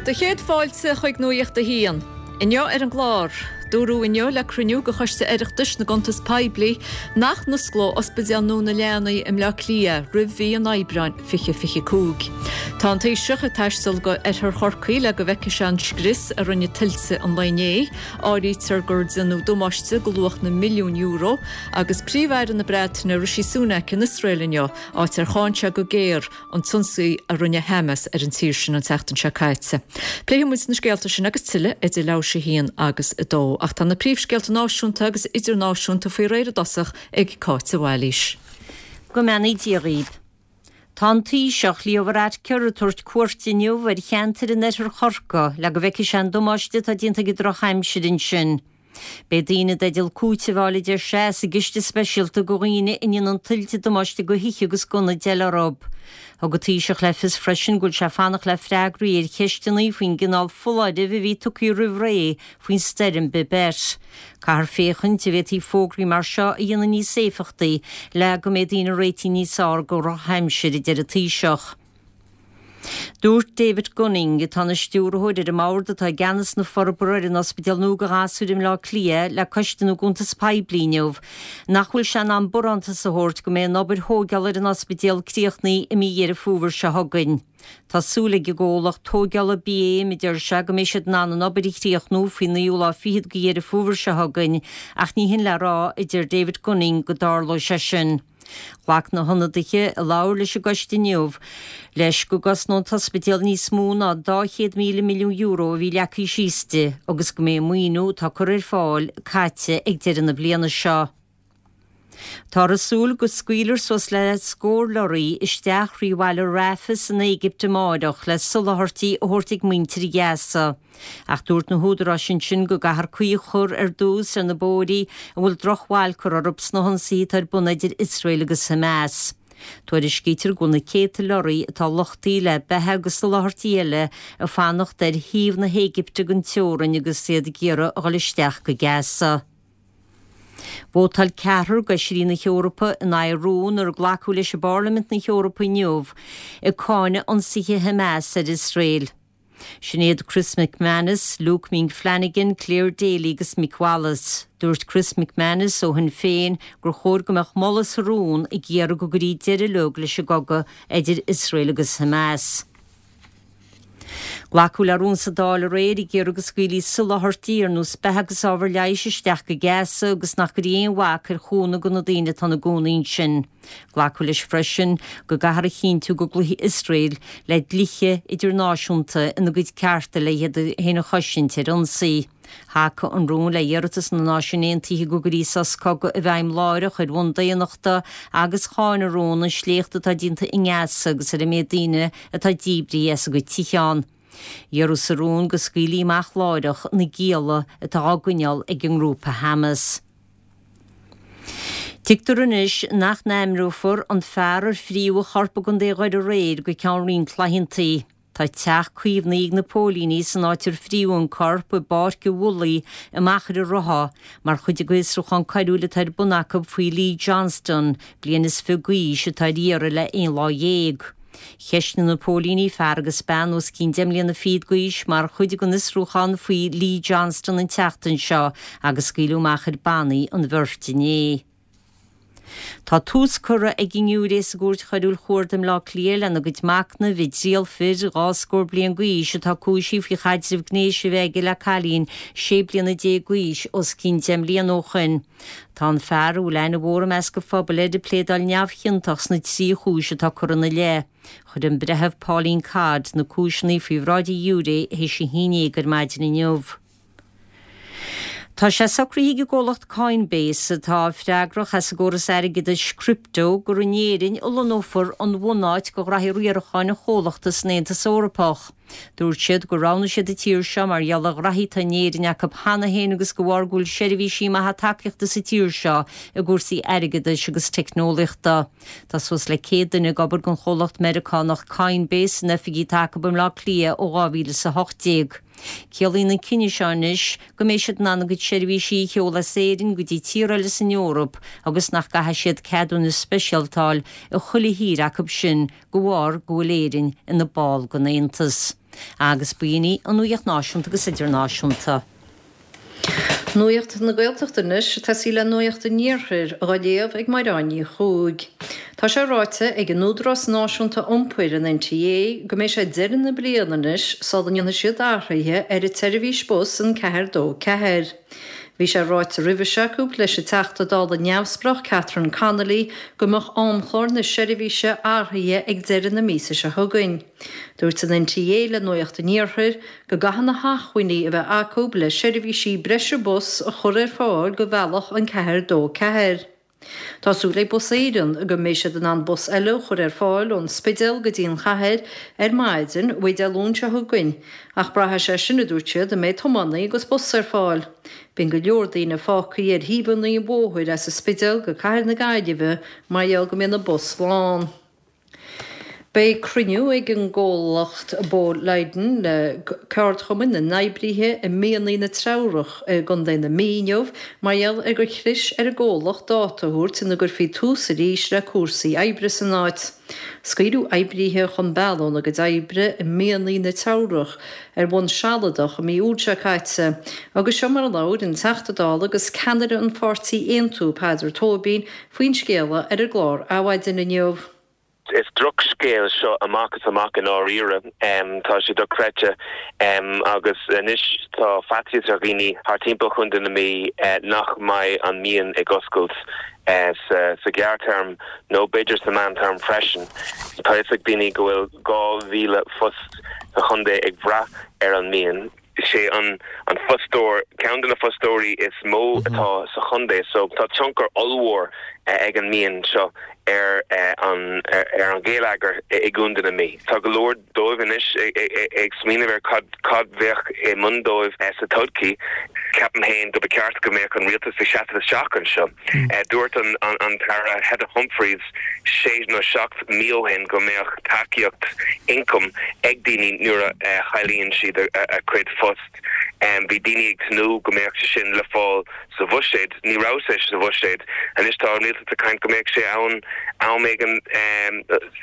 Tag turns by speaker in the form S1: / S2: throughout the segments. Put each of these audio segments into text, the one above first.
S1: Do chéad fáilte chuig Nuacht a hAon. Inniu ar an gclár, dúradh inniu le cruinniú de Choiste Oireachtais na gCuntas Poiblí nach n-osclódh Ospidéal nua na Leanaí i mBleá Cliath roimh mhí an Aibreáin 2025. Tá an Taoiseach ag taisteal go oirthear Chorcaí le go bhfeicfidh sé an scrios a rinne tuilte an lae inné. Áirítear gur déanadh damáiste de luach na milliún euro agus Príomh-Aire na Breataine Rishi Sunak in Iosrael inniu, áit ar cháin sé go géar an t-ionsaí a rinne Hamas ar an tír sin an tseachtain seo caite. Pléifidh muid na scéalta sin agus tuilleadh idir leathuair tar éis a haon agus a dó. Ach tá na príomhscéalta náisiúnta agus idirnáisiúnta faoi réir i dtosach ag Cáit de Bhailís.
S2: Go mbeannaí Dia dhaoibh. Tá an Taoiseach, Leo Varadkar, ag tabhairt cuairte inniu ar cheantair in oirthear Chorcaí le go bhfeicfidh sé an damáiste atá déanta ag an drochaimsir ansin. Beidh daoine i dteideal cúiteamh a fháil, a deir sé, as an gciste speisialta do dhaoine a ndéanann tuilte damáiste do thithe agus d'ionaid eile orthu. Thug an Taoiseach le fios freisin go bhfuil sé ag fanacht le freagraí ar cheisteanna faoin gcineál foláirimh a bhí tugtha roimh ré faoin stoirm Babet. Caithfear féachaint an bhféadfaí fógraí mar seo a dhéanamh níos éifeachtaí le go mbeidh daoine réitithe níos fearr do dhrochaimsir, a deir an Taoiseach. Dúirt David Gunning, atá ina stiúrthóir ar an mbord atá i gceannas na forbartha ar an ospidéal nua do ghasúir i mBleá Cliath le Coiste na gCuntas Poiblí inniu, nach bhfuil sé in am barántas a thabhairt go mbeidh an obair thóigeála ar an ospidéal críochnaithe i mí Dheireadh Fómhair seo chugainn. Tá súil ag an gcomhlacht tóigeála BAM, a deir sé, go mbeidh siad in ann an obair a chríochnú faoin naoú lá fichead de Dheireadh Fómhair seo chugainn ach ní hin le rá, a deir David Gunning, go dtarlóidh sé sin. Ghlac na hionadaithe a labhair leis an gcoiste inniu leis go gcosnóidh an t-ospidéal níos mó ná €200,000 milliún a bhí leagtha síos di agus go mbeidh an maoiniú atá curtha ar fáil caite ag deireadh na bliana seo. Táthar ag súil go scaoilfear suas le scór lorraí isteach thrí bhaile Rafah san Éigipt amáireach le soláthairtí a thabhairt ag muintir Ghaza. Ach dúirt na húdaráis ansin go gcaithfear caoi a chur ar dtús ar na bóithrí a bhfuil drochbhail curtha orthu sna hionsaithe atá ar bun idir Iosrael agus Hamas. Tuairiscítear go bhfuil na céadta lorraí atá luchtaithe le beatha agus soláthairtí eile ag fanacht ar thaobh na hÉigipte den teorainn agus iad ag iarraidh a dhul isteach go Gaza. Vótáil ceathrar d'fheisirí na hEorpa in aghaidh rún ar glacadh leis i bParlaimint na hEorpa inniu ag cáineadh ionsaithe Hamas ar Iosrael. Sin iad Chris McManus, Luke Ming Flanagan, Clare Daly agus Mick Wallace. Dúirt Chris McManus ó Shinn Féin gur chóir go mbeadh moladh sa rún ag iarraidh go gcuirí deireadh uilig leis an gcogadh idir Iosrael agus Hamas. Glacadh le rún sa Dáil aréir ag iarraidh go scaoilfí soláthairtí ar nós beatha agus ábhar leighis isteach go Gaza agus nach gcuirí aon bhac ar chúnamh do na daoine atá ina gcónaí ansin. Glacadh leis freisin go gcaithfear a chinntiú go gcloífidh Iosrael le dlíthe idirnáisiúnta ina gcuid cearta le iad féin a chosaint ar ionsaí. Thacaigh an rún le hiarratas na Náisiún Aontaithe go gcuirí sos cogaidh i bhfeidhm láithreach ar bhonn daonnachta agus cháin an rún an sléacht atá déanta i nGaza agus ar an méid daoine atá díbrithe as a gcuid tithe ann. Iarradh sa rún go scaoilfí amach láithreach na gialla atá á gcoinneáil ag an ngrúpa Hamas. Tuigtear anois nach n-ainmneofar an fear ar fríodh a chorp i gContae Dhoire aréir go ceann roinnt laethanta. Tá teach caomhnaithe ag na póilíní san áit ar fríodh an corp i bPáirc an Mhullaigh i Machaire Rotha mar chuid den fhiosrúchán coiriúil atá ar bun acu faoi Lee Johnston, bliain is 20 d'aois, atá ar iarraidh le aon lá dhéag. Cheistigh na póilíní fear agus bean os cionn deich mbliana fichead d'aois mar chuid den fhiosrúchán faoi Lee Johnston an tseachtain seo agus scaoileadh amach ar bannaí an bheirt inné. Tá tús curtha ag an ngiúiré sa gCúirt Choiriúil Chuarda i mBleá Cliath lena gcuid machnaimh i dtriail fir 22 scór bliain d'aois atá cúisithe faoi chaidreamh gnéis a bheith aige le cailín 16 bliana d'aois os cionn 10 mbliana ó shoin. Tá an fear, a bhfuil aithne mhór i measc an phobail air, ag pléadáil neamhchiontach sna trí chúis atá curtha ina leith. Chuir an Breitheamh Pauline Codd na cúiseanna faoi bhráid an ghiúiré théis a haon dhéag ar maidin inniu. Tá sé socraithe ag an gcomhlacht Coinbase, atá freagrach as an gcóras airgeadais crypto, gur in Éirinn a lonnófar an bhunáit do ghraithí riaracháin an chomhlachta san Aontas Eorpach. Dúirt siad gur roghnaigh siad an tír seo mar gheall ar ghraithí atá in Éirinn acu cheana féin agus de bharr go bhfuil seirbhísí maithe tacaíochta sa tír seo i gcúrsaí airgeadais agus teicneolaíochta. Tá suas le 100 duine ag obair don chomhlacht Meiriceánach Coinbase san oifigí atá acu i mBleá Cliath ó 2018. Ciallaíonn an cinneadh seo anois go mbeidh siad in ann a gcuid seirbhísí a sheoladh as Éirinn go dtí tír eile san Eoraip agus nach gcaithfidh siad ceadúnas speisialta a fháil i chuile thír acu sin de bharr go bhfuil Éirinn ina ball den Aontas. Agus b'in í an Nuacht Náisiúnta agus Idirnáisiúnta.
S1: Nuacht na Gaeltachta anois, ag tosaí le Nuacht an Iarthair, á léamh ag Mairéad Ní Chuaig. Tá sé ráite ag an Údarás Náisiúnta Iompair, an NTA, go mbeidh sé deireadh na bliana anois sula ndéanfaidh siad athruithe ar an tseirbhís bus an 4 2 4. Bhí sé ráite roimhe seo acu leis an Teachta Dála neamhspleách Catherine Connolly go mbeadh amchlár na seirbhíse athraithe ag deireadh na míosa seo chugainn. Dúirt an NTA le Nuacht an Iarthair go gcaithfidh na hacmhainní a bheith acu le seirbhísí breise bus a chur ar fáil do bhealach an 4 2 4. Tá súil ag Bus Éireann go mbeidh siad in ann bus eile a chur ar fáil ón Spidéal go dtí an chathair ar maidin mhaith Dé Luain seo chugainn, ach braithfidh sé sin, a dúirt siad, an mbeidh tiománaí agus bus ar fáil. Bíonn go leor daoine fágtha ar thaobhanna an bhóthair as an Spidéal go cathair na Gaillimhe mar gheall go mbíonn na bus lán. Beidh cruinniú ag an gcomhlacht Boliden le ceardchumainn na n-oibrithe i mianaigh na Treabhrach i gContae na Mí inniu mar gheall ar gur chlis ar an gcomhlacht dáta a thabhairt ina gcuirfí tús arís le cúrsaí oibre san áit. Scaoileadh oibrithe chun bealaigh óna gcuid oibre i mianaigh na Teamhrach ar bhonn sealadach i mí Iúil seo caite agus seo mar a labhair an Teachta Dála agus ceannaire an pháirtí Aontú, Peadar Tóibín, faoin scéala ar an gclár Adhmhaidin inniu.
S3: Is drochscéal seo amach is amach i ndáiríre. Tá sé dochreidte. Agus anois tá faitíos ar dhaoine thart timpeall Chontae na Mí nach mbeidh an mian ag oscailt sa ghearrthéarma nó b'fhéidir sa meántéarma freisin. Tá a fhios ag daoine go bhfuil 2,000 phost sa chontae ag brath ar an mian. Is é an an fostóir, ceann de na fostóirí is mó atá sa chontae so tá tionchar ollmhór ag an mian seo ar an ar an gheilleagar i gContae na Mí. Tá go leor dóibh anois ag smaoineamh ar cad cad bheadh i ndán dóibh sa todhchaí. Ceapaim féin go ba cheart go mbeadh an rialtas ag seasamh isteach anseo. Dúirt an an tAire Heather Humphreys sé nó 7 mí ó shin go mbeadh tacaíocht ioncaim ag daoine nuair a chailleann siad a gcuid phost. Bhí daoine ag tnúth go mbeadh sé sin le fáil sa bhuiséad. Ní raibh sé sa bhuiséad. Anois tá an rialtas ag caint go mbeadh sé ann am éigin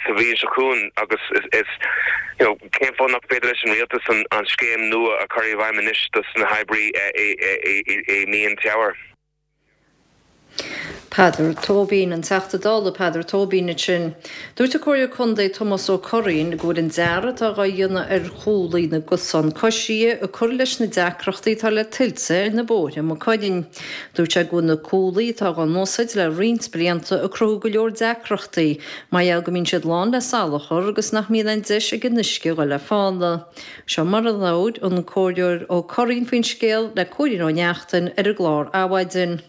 S3: sa bhliain seo chugainn agus is you know cén fáth nach féidir leis an rialtas an scéim nua a chur i bhfeidhm anois dos na hoibrí i mian Teamhair.
S1: Peadar Tóibín, An Teachta Dála Peadar Tóibín ansin. Dúirt an Comhairleoir Contae Tomás Ó Curraoin go bhfuil an dearadh atá dhá dhéanamh ar chuaillí na gcosán coisithe ag cur leis na deacrachtaí atá le tuilte ar na bóithre i Maigh Cuilinn. Dúirt sé go bhfuil na cuaillí atá dhá n-úsáid le roinnt blianta ag cruthú go leor deacrachtaí mar gheall go mbíonn siad lán le salachar agus nach mbíonn aon deis ag an uisce a dhul le fána. Seo mar a labhair an Comhairleoir Ó Curraoin faoin scéal le Cóilín Ó Neachtain ar an gclár Adhmhaidin.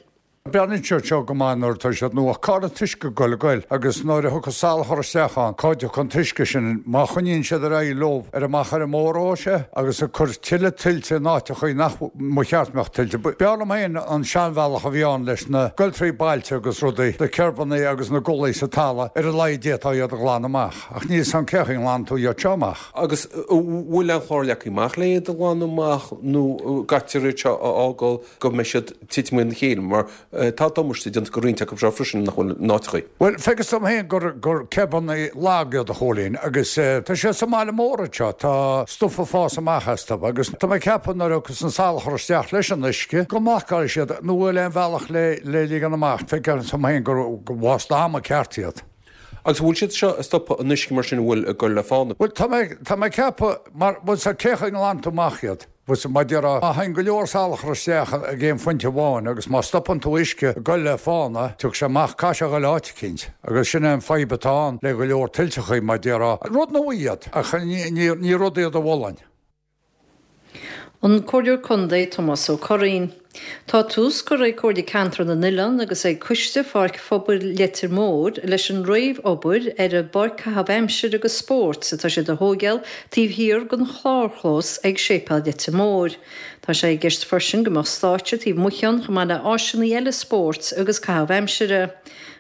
S4: Breathnaíonn siad seo go maith nuair atá siad nua ach cá bhfuil an t-uisce ag goil ag goil agus nuair a thiocfas salachar isteach ann cá dtiocfaidh an t-uisce sin má choinníonn siad ar aghaidh leo ar amach ar an mór-ó sé agus ag cur tuilleadh tuilte in áiteachaí nach mba cheart mbeadh tuilte. B'fhearr liom féin an seanbhealach a bhí ann leis na goil trí bailte agus rudaí, na kerbannaí agus na gulaí sa talamh ar a laghad d'fhéadfá iad a ghlanadh amach ach níl 's a'm cé chaoi a nglanann tú iad seo amach.
S5: Agus an bhfuil aon chlár leagtha amach le iad a ghlanadh amach nó an gcaithfear iad seo a fhágáil go mbeidh siad titim ina chéile mar tá damáiste déanta go roinnt acu seo freisin nach bhfuil in áiteachaí.
S4: Bhuel, feictear dom féin gur gur kerbannaí lag iad a Chóilín agus tá siad sa mbaile mór anseo, tá stuif ag fás amach astu agus tá mé ag ceapadh nuair a thiocfas an salachar isteach leis an uisce go mblocálfaidh siad nó bhfuil aon bhealach le le ligean amach, feictear dom féin gur waste ama ceart iad.
S5: Agus an bhfuil siad seo ag stopadh an uisce mar sin a bhfuil ag goil le fána?
S4: Bhuel, tá mé, tá mé ag ceapadh, mar, bhuel, sea, cé chaoi a nglanann tú amach iad? Bhuel, sea, mar déarfá, má théann go leor salachar isteach ag aon phointe amháin agus má stopann tú uisce ag goil le fána, tiocfaidh sé amach, caithfidh sé a ghoil áit eicínt. Agus sin é an fadhb atá ann le go leor tuilteachaí, mar déarfá. Rud nua iad, ach ní, ní, ní rud iad a mholfainn.
S1: An Comhairleoir Contae Tomás Ó Curraoin. Tá tús curtha ag Comhairle Ceantar na nOileán agus ag Coiste Pháirc Phobail Leitir Móir leis an réamh-obair ar an bpáirc caitheamh aimsire agus spóirt atá siad a thóigeáil taobh thiar den chlárchlós ag Séipéal Leitir Móir. Tá sé i gceist freisin go mbeadh stáitse taobh amuigh ann chomh maith le áiseanna eile spóirt agus caitheamh aimsire.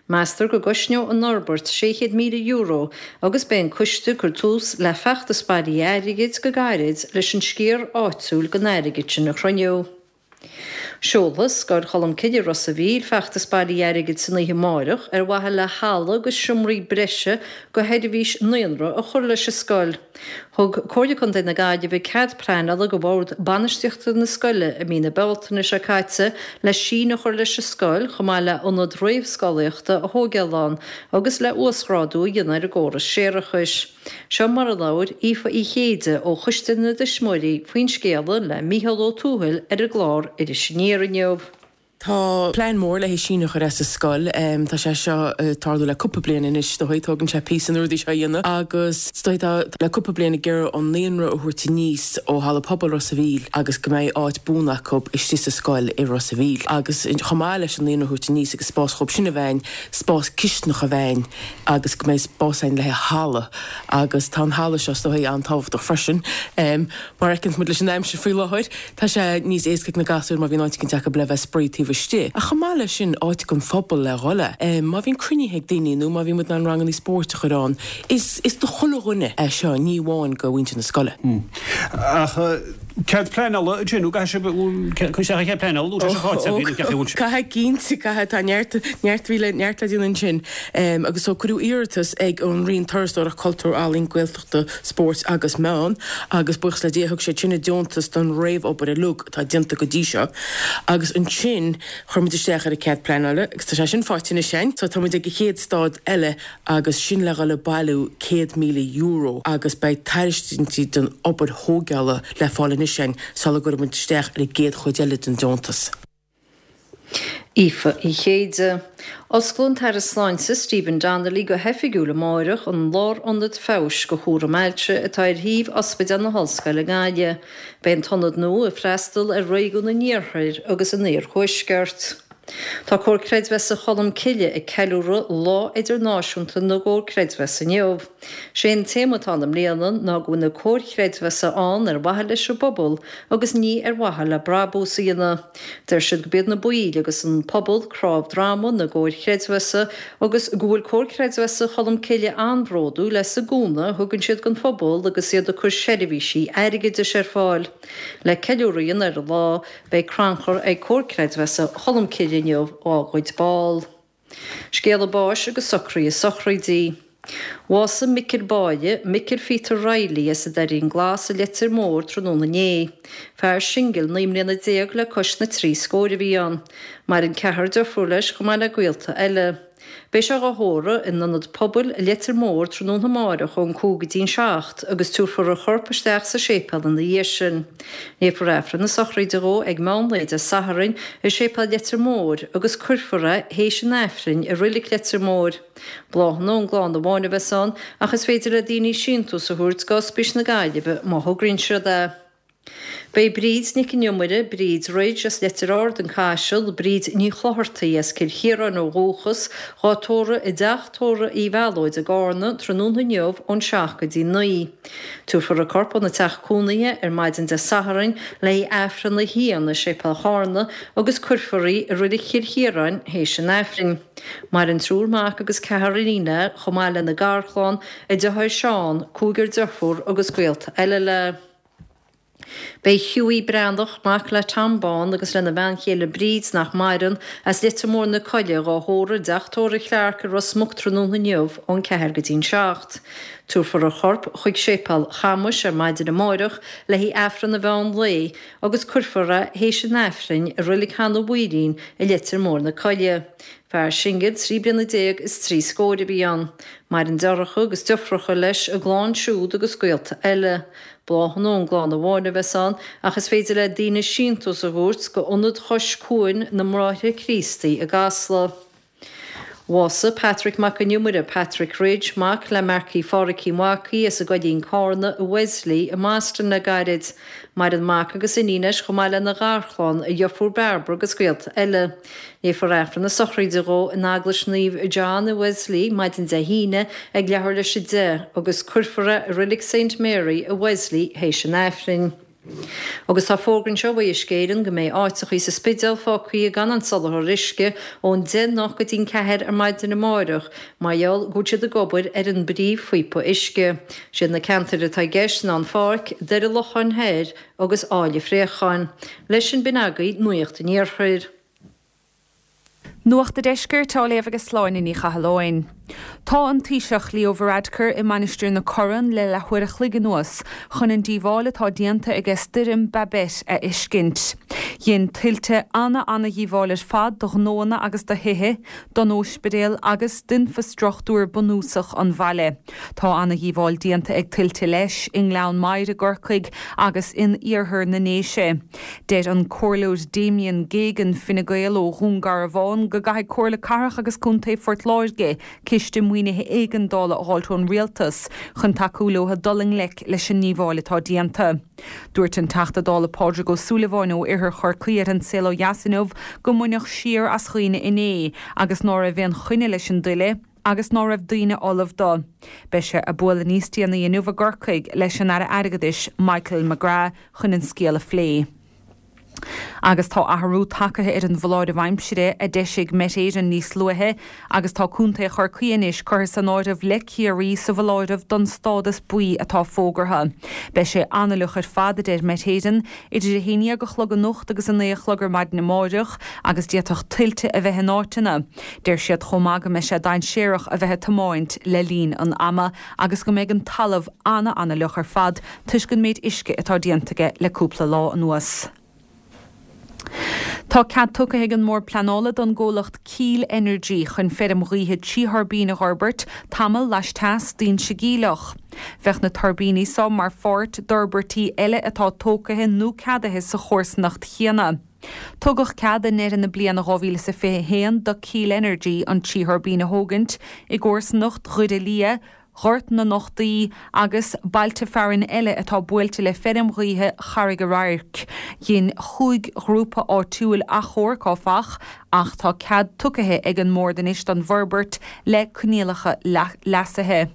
S1: Meastar go gcosnóidh an fhorbairt €600,000 agus beidh an coiste ag cur tús le feachtas bailithe airgid go gairid leis an sciar áitiúil den airgead sin a chruinniú.
S6: Seolfaidh Scoil Cholmcille i Ros a' Mhíl feachtas bailithe airgid san oíche amáireach ar mhaithe le halla agus seomraí breise go sheirbhís naíonra a chur leis an scoil. Thug Comhairle Contae na Gaillimhe cead pleanála go Bhord Bainistíochta na scoile i mí na Bealtaine seo caite le síneadh a chur leis an scoil chomh maith le ionad réamhscolaíochta a thóigeáil ann agus le uasghrádú a dhéanamh ar an gcóras séarachais. Seo mar a labhair Aoife Uí Chéide ó Choiste na dTuismitheoirí faoin scéala le Mícheál Ó Tuathail ar an gclár Iris Aniar inniu.
S7: Tá plean mór le haghaidh síneadh a chur as an scoil. Tá sé seo ag tarlú le cúpla bliain anois is dóigh. Tógann sé píosa na rudaí seo a dhéanamh agus is dóigh tá le cúpla bliain ag iarraidh an naíonra a thabhairt aníos ó Halla Pobail Ros a' Mhíl agus go mbeidh áit buan acu istigh sa scoil i Ros a' Mhíl. Agus chomh maith leis an naíonra a thabhairt aníos agus spás dhóibh sin a bheith ann, spás cisteanach a bheith ann agus go mbeidh spás ann le haghaidh halla agus tá an halla seo is dóigh an-tábhachtach freisin. Mar a fheiceanns muid leis an aimsir faoi láthair, tá sé níos éasca ag na gasúir má bhíonn áit eicínt acu le bheith ag spraoi taobh istigh. Ach chomh maith leis sin, áit don phobal le dhul a. Má bhíonn cruinnithe ag daoine nó má bhíonn muid in ann rangannaí spóirt a chur ann, is is do chuile dhuine é seo, ní amháin do mhuintir na scoile.
S8: Ach cead pleanála ansin, nó caithfidh sibh cur isteach ar chead pleanála nó tá sé faighte agaibh nó ceapaim go bhfuil sé.
S7: Caithfidh, cinnte, caithfidh. Tá neart, neart bhí le, neart le déanamh ansin. Agus so cuireadh iarratas ag an Roinn Turasóireachta, Cultúir, Ealaíon, Gaeltachta, Spóirt agus Meán agus buíochas le Dia thug siad sin a deontas don réamhobair uilig atá déanta go dtí seo agus ansin chuir muid isteach ar an cead pleanála agus tá sé sin faighte anois againn so tá muid ag an chéad stád eile agus sin le dhul ag bailiú €100,000 agus beidh tairiscintí don obair thóigeála le fáil anois againn sula gcuirfidh muid isteach ar an gcéad chuid eile den deontas.
S6: Aoife Uí Chéide. Osclóidh an tAire Sláinte Stephen Donnelly go hoifigiúil amáireach an Lárionad Feabhais do Chúram Ailse atá ar shuíomh Ospidéal na hOllscoile Gaillimh. Beidh an t-ionad nua ag freastal ar réigiún an Iarthair agus an Iarthuaiscirt. Tá Comhar Creidmheasa Cholm Cille ag ceiliúradh Lá Idirnáisiúnta na gComhar Creidmheasa inniu. Sé an téama atá ann i mbliana ná go bhfuil na comhair chreidmheasa ann ar mhaithe leis an bpobal agus ní ar mhaithe le brabús a dhéanamh. Deir siad go b'iad na baill agus an pobal cnámh droma na gcomhair chreidmheasa agus go bhfuil Comhar Creidmheasa Cholm Cille an-bhródúil as an gcúnamh a thugann siad don phobal agus iad ag cur seirbhísí airgeadais ar fáil. Le ceiliúradh a dhéanamh ar an lá, beidh crannchur ag Comhar Creidmheasa Cholm Cille inniu dá gcuid ball. Scéala báis agus socruithe sochraide. Bhásaigh Micil Báille, Micil Phíotair Reilly as an Doirín Glas i Leitir Móir tráthnóna inné. Fear singil 19 mbliana le cois na dtrí scóir a bhí ann. Maireann ceathrar deirfiúr leis chomh maith le gaolta eile. Beidh sé dhá thórramh in Ionad Pobail Leitir Móir tráthnóna amáireach ón 5 go dtí'n 7 agus tabharfar a chorp isteach sa séipéal ina dhiaidh sin. Léifear Aifreann na sochraide dhó ag meán lae Dé Sathairn i Séipéal Leitir Móir agus cuirfear é théis an Aifrinn i Roilig Leitir Móir. Bláthanna ón gclann amháin a bheas ann ach is féidir le daoine síntiús a thabhairt go Ospís na Gaillimhe má thograíonn siad é. Beidh Bríd Nic an Iomaire, Bríd Ridge as Leitir Ard, An Caiseal, Bríd Ní Chlochartaigh as Cill Chiaráin ó dhúchas, dhá tórramh i dTeach Tórraimh Uí Mhealóid i gCarna tráthnóna inniu ón 7 go dtí 9. Tabharfar a corp óna teach cónaithe ar maidin Dé Sathairn le haghaidh Aifreann a haon i Séipéal Charna agus cuirfear í i Roilig Chill Chiaráin théis an Aifrinn. Maireann triúr mac agus ceathrar iníon léi chomh maith lena garchlann, a deartháir Seán, cúigear deirfiúr agus gaolta eile léi. Beidh Hughie Breathnach, mac le Tom Bán agus lena bhean chéile Bríd, nach maireann, as Leitir Móir na Coille, dhá thórramh i dTeach Tórraimh Clarke i Ros Muc tráthnóna inniu ón 4 go dtí'n 7. Tabharfar a chorp chuig Séipéal Chamuis ar maidin amáireach le haghaidh Aifreann an mheán lae agus cuirfear é théis an Aifrinn i Roilig Hanna Mhaoilín i Leitir Móir na Coille. Fear singil 13 bliana is trí scóir a bhí ann. Maireann deartháireacha agus deirfiúracha leis, a gclann siúd agus gaolta eile. Bláthanna ón gclann amháin a bheas ann ach is féidir le daoine síntiús a thabhairt go Ionad Chois Cuain na mBráithre Críostaí i gCasla. Bhásaigh Patrick Mac an Iomaire, Patrick Ridge, mac le Marcie Pháraic Uí Mhacaigh as an gCoillín Cárna i Wesley i mBoston le gairid. Maireann mac agus iníon leis chomh maith lena gharchlann, a dheirfiúr Bairbre agus gaolta eile. Léifear Aifreann na sochraide dhó in Eaglais Naomh John i Wesley maidin Dé hAoine ag leathuair leis 10 agus cuirfear é i Roilig Saint Mary i Wesley théis an Aifrinn. Agus tá fógra anseo ó Uisce Éireann go mbeidh áiteachaí sa Spidéal fágtha gan an soláthar uisce ón 10 anocht go dtí'n 4 ar maidin amáireach mar gheall go bhfuil siad ag obair ar an bpríomhphíopa uisce. Siad na ceantair atá i gceist ná an Pháirc, Doire Locháin Thoir agus Áill an Phréacháin. Leis sin b'in agaibh Nuacht an Iarthair.
S9: Nuacht a' Deiscirt á léamh ag Sláine Ní Chathalláin. Tá an Taoiseach Leo Varadkar i Mainistir na Corann le leathuair a chloig anuas chun an díobháil atá déanta aige stoirm Babet a fheiscint. Dhein tuilte ana-ana-dhíobháil ar fad do ghnóanna agus do thithe, don óispidéal agus d'infeastruchtúr bunúsach an bhaile. Tá ana-dhíobháil déanta ag tuilte leis i nGleann Maghair i gCorcaigh agus in iarthar na nDéise. Deir an Comhairleoir Damien Geoghegan, Fine Gael ó Dhún Garbhán, go gcaithfidh Comhairle Cathrach agus Contae Phort Láirge ciste maoinithe éigeandála a dh'fháilt ón Rialtas chun tacú leo dul i ngleic leis an ndíobháil atá déanta. Dúirt an Teachta Dála Pádraig Ó Súilleabháin ó Oirthear Chorcaí ar An Saol Ó Dheas inniu go mbaineadh siar as dhaoine inné agus ná raibh aon choinne leis an dtuile agus ná raibh daoine ullamh do. Beidh sé ag bualadh níos déanaí inniu i gCorcaigh leis an Aire Airgeadais Michael McGrath chun an scéal a phlé. Agus tá athrú tagtha ar an bhfoláireamh aimsire a d'eisigh Met Éireann níos luaithe agus tá Contae Chorcaí anois curtha san áireamh le Ciarraí sa bhfoláireamh don stádas buí atá fógartha. Beidh sé an-fhliuch ar fad, a deir Met Éireann, idir 11 a chlog anocht agus 9 a chlog ar maidin amáireach agus d'fhéadfadh tuilte a bheith in áiteanna. Deir siad chomh maith go mbeidh sé dainséarach a bheith ag tiomáint le linn an ama agus go mbeidh an talamh ana-ana-fhliuch ar fad toisc an méid uisce atá déanta aige le cúpla lá anuas. Tá cead tugtha ag an mBord Pleanála don gcomhlacht Keel Energy chun feirm ghaoithe 3 thuirbín a dh'fhorbairt tamall laisteas d'Inse Geimhleach. Bheadh na tuirbíní seo mar pháirt d'fhorbairtí eile atá tógtha nó ceadaithe sa chomharsanacht chéanna. Tugadh cead i ndeireadh na bliana 2021 do Keel Energy an 3 thuirbín a thógaint i gcomharsanacht Dhoire Liath, Ghort na Nochtaí agus bailte fearainn eile atá buailte le feirm ghaoithe Charraig an Radhairc. Dhein chúig ghrúpa áitiúil achomharc, áfach, ach tá cead tugtha ag an mBord anois don bhforbairt le coinníollacha leasaithe.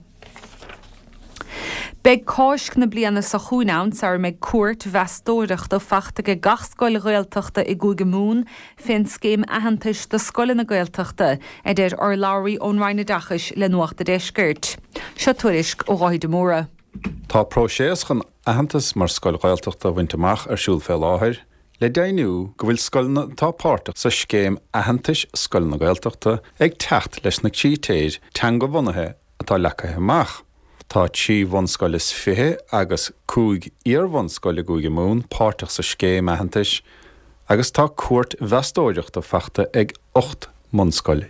S9: Beidh Cáisc na bliana seo chugainn ann sara mbeidh cuairt mheastóireachta fachta ag gach scoil Ghaeltachta i gCúige Mumhan fén scéim aitheantais do scoileanna Gaeltachta, a deir urlabhraí ón Roinn Oideachais le Nuacht a' Deiscirt. Seo tuairisc ó Dháithí de Mórdha.
S10: Tá próiseas chun aitheantas mar scoil Ghaeltachta a bhaint amach ar siúl fé láthair le deimhniú go bhfuil scoileanna atá páirteach sa scéim aitheantais Scoileanna Gaeltachta ag teacht leis na critéir teanga-bhunaithe atá leagtha amach. Tá 23 bhunscoil agus 5 iar-bhunscoil i gCúige Mumhan páirteach sa scéim aitheantais agus tá cuairt mheastóireachta fachta ag 18 mbunscoil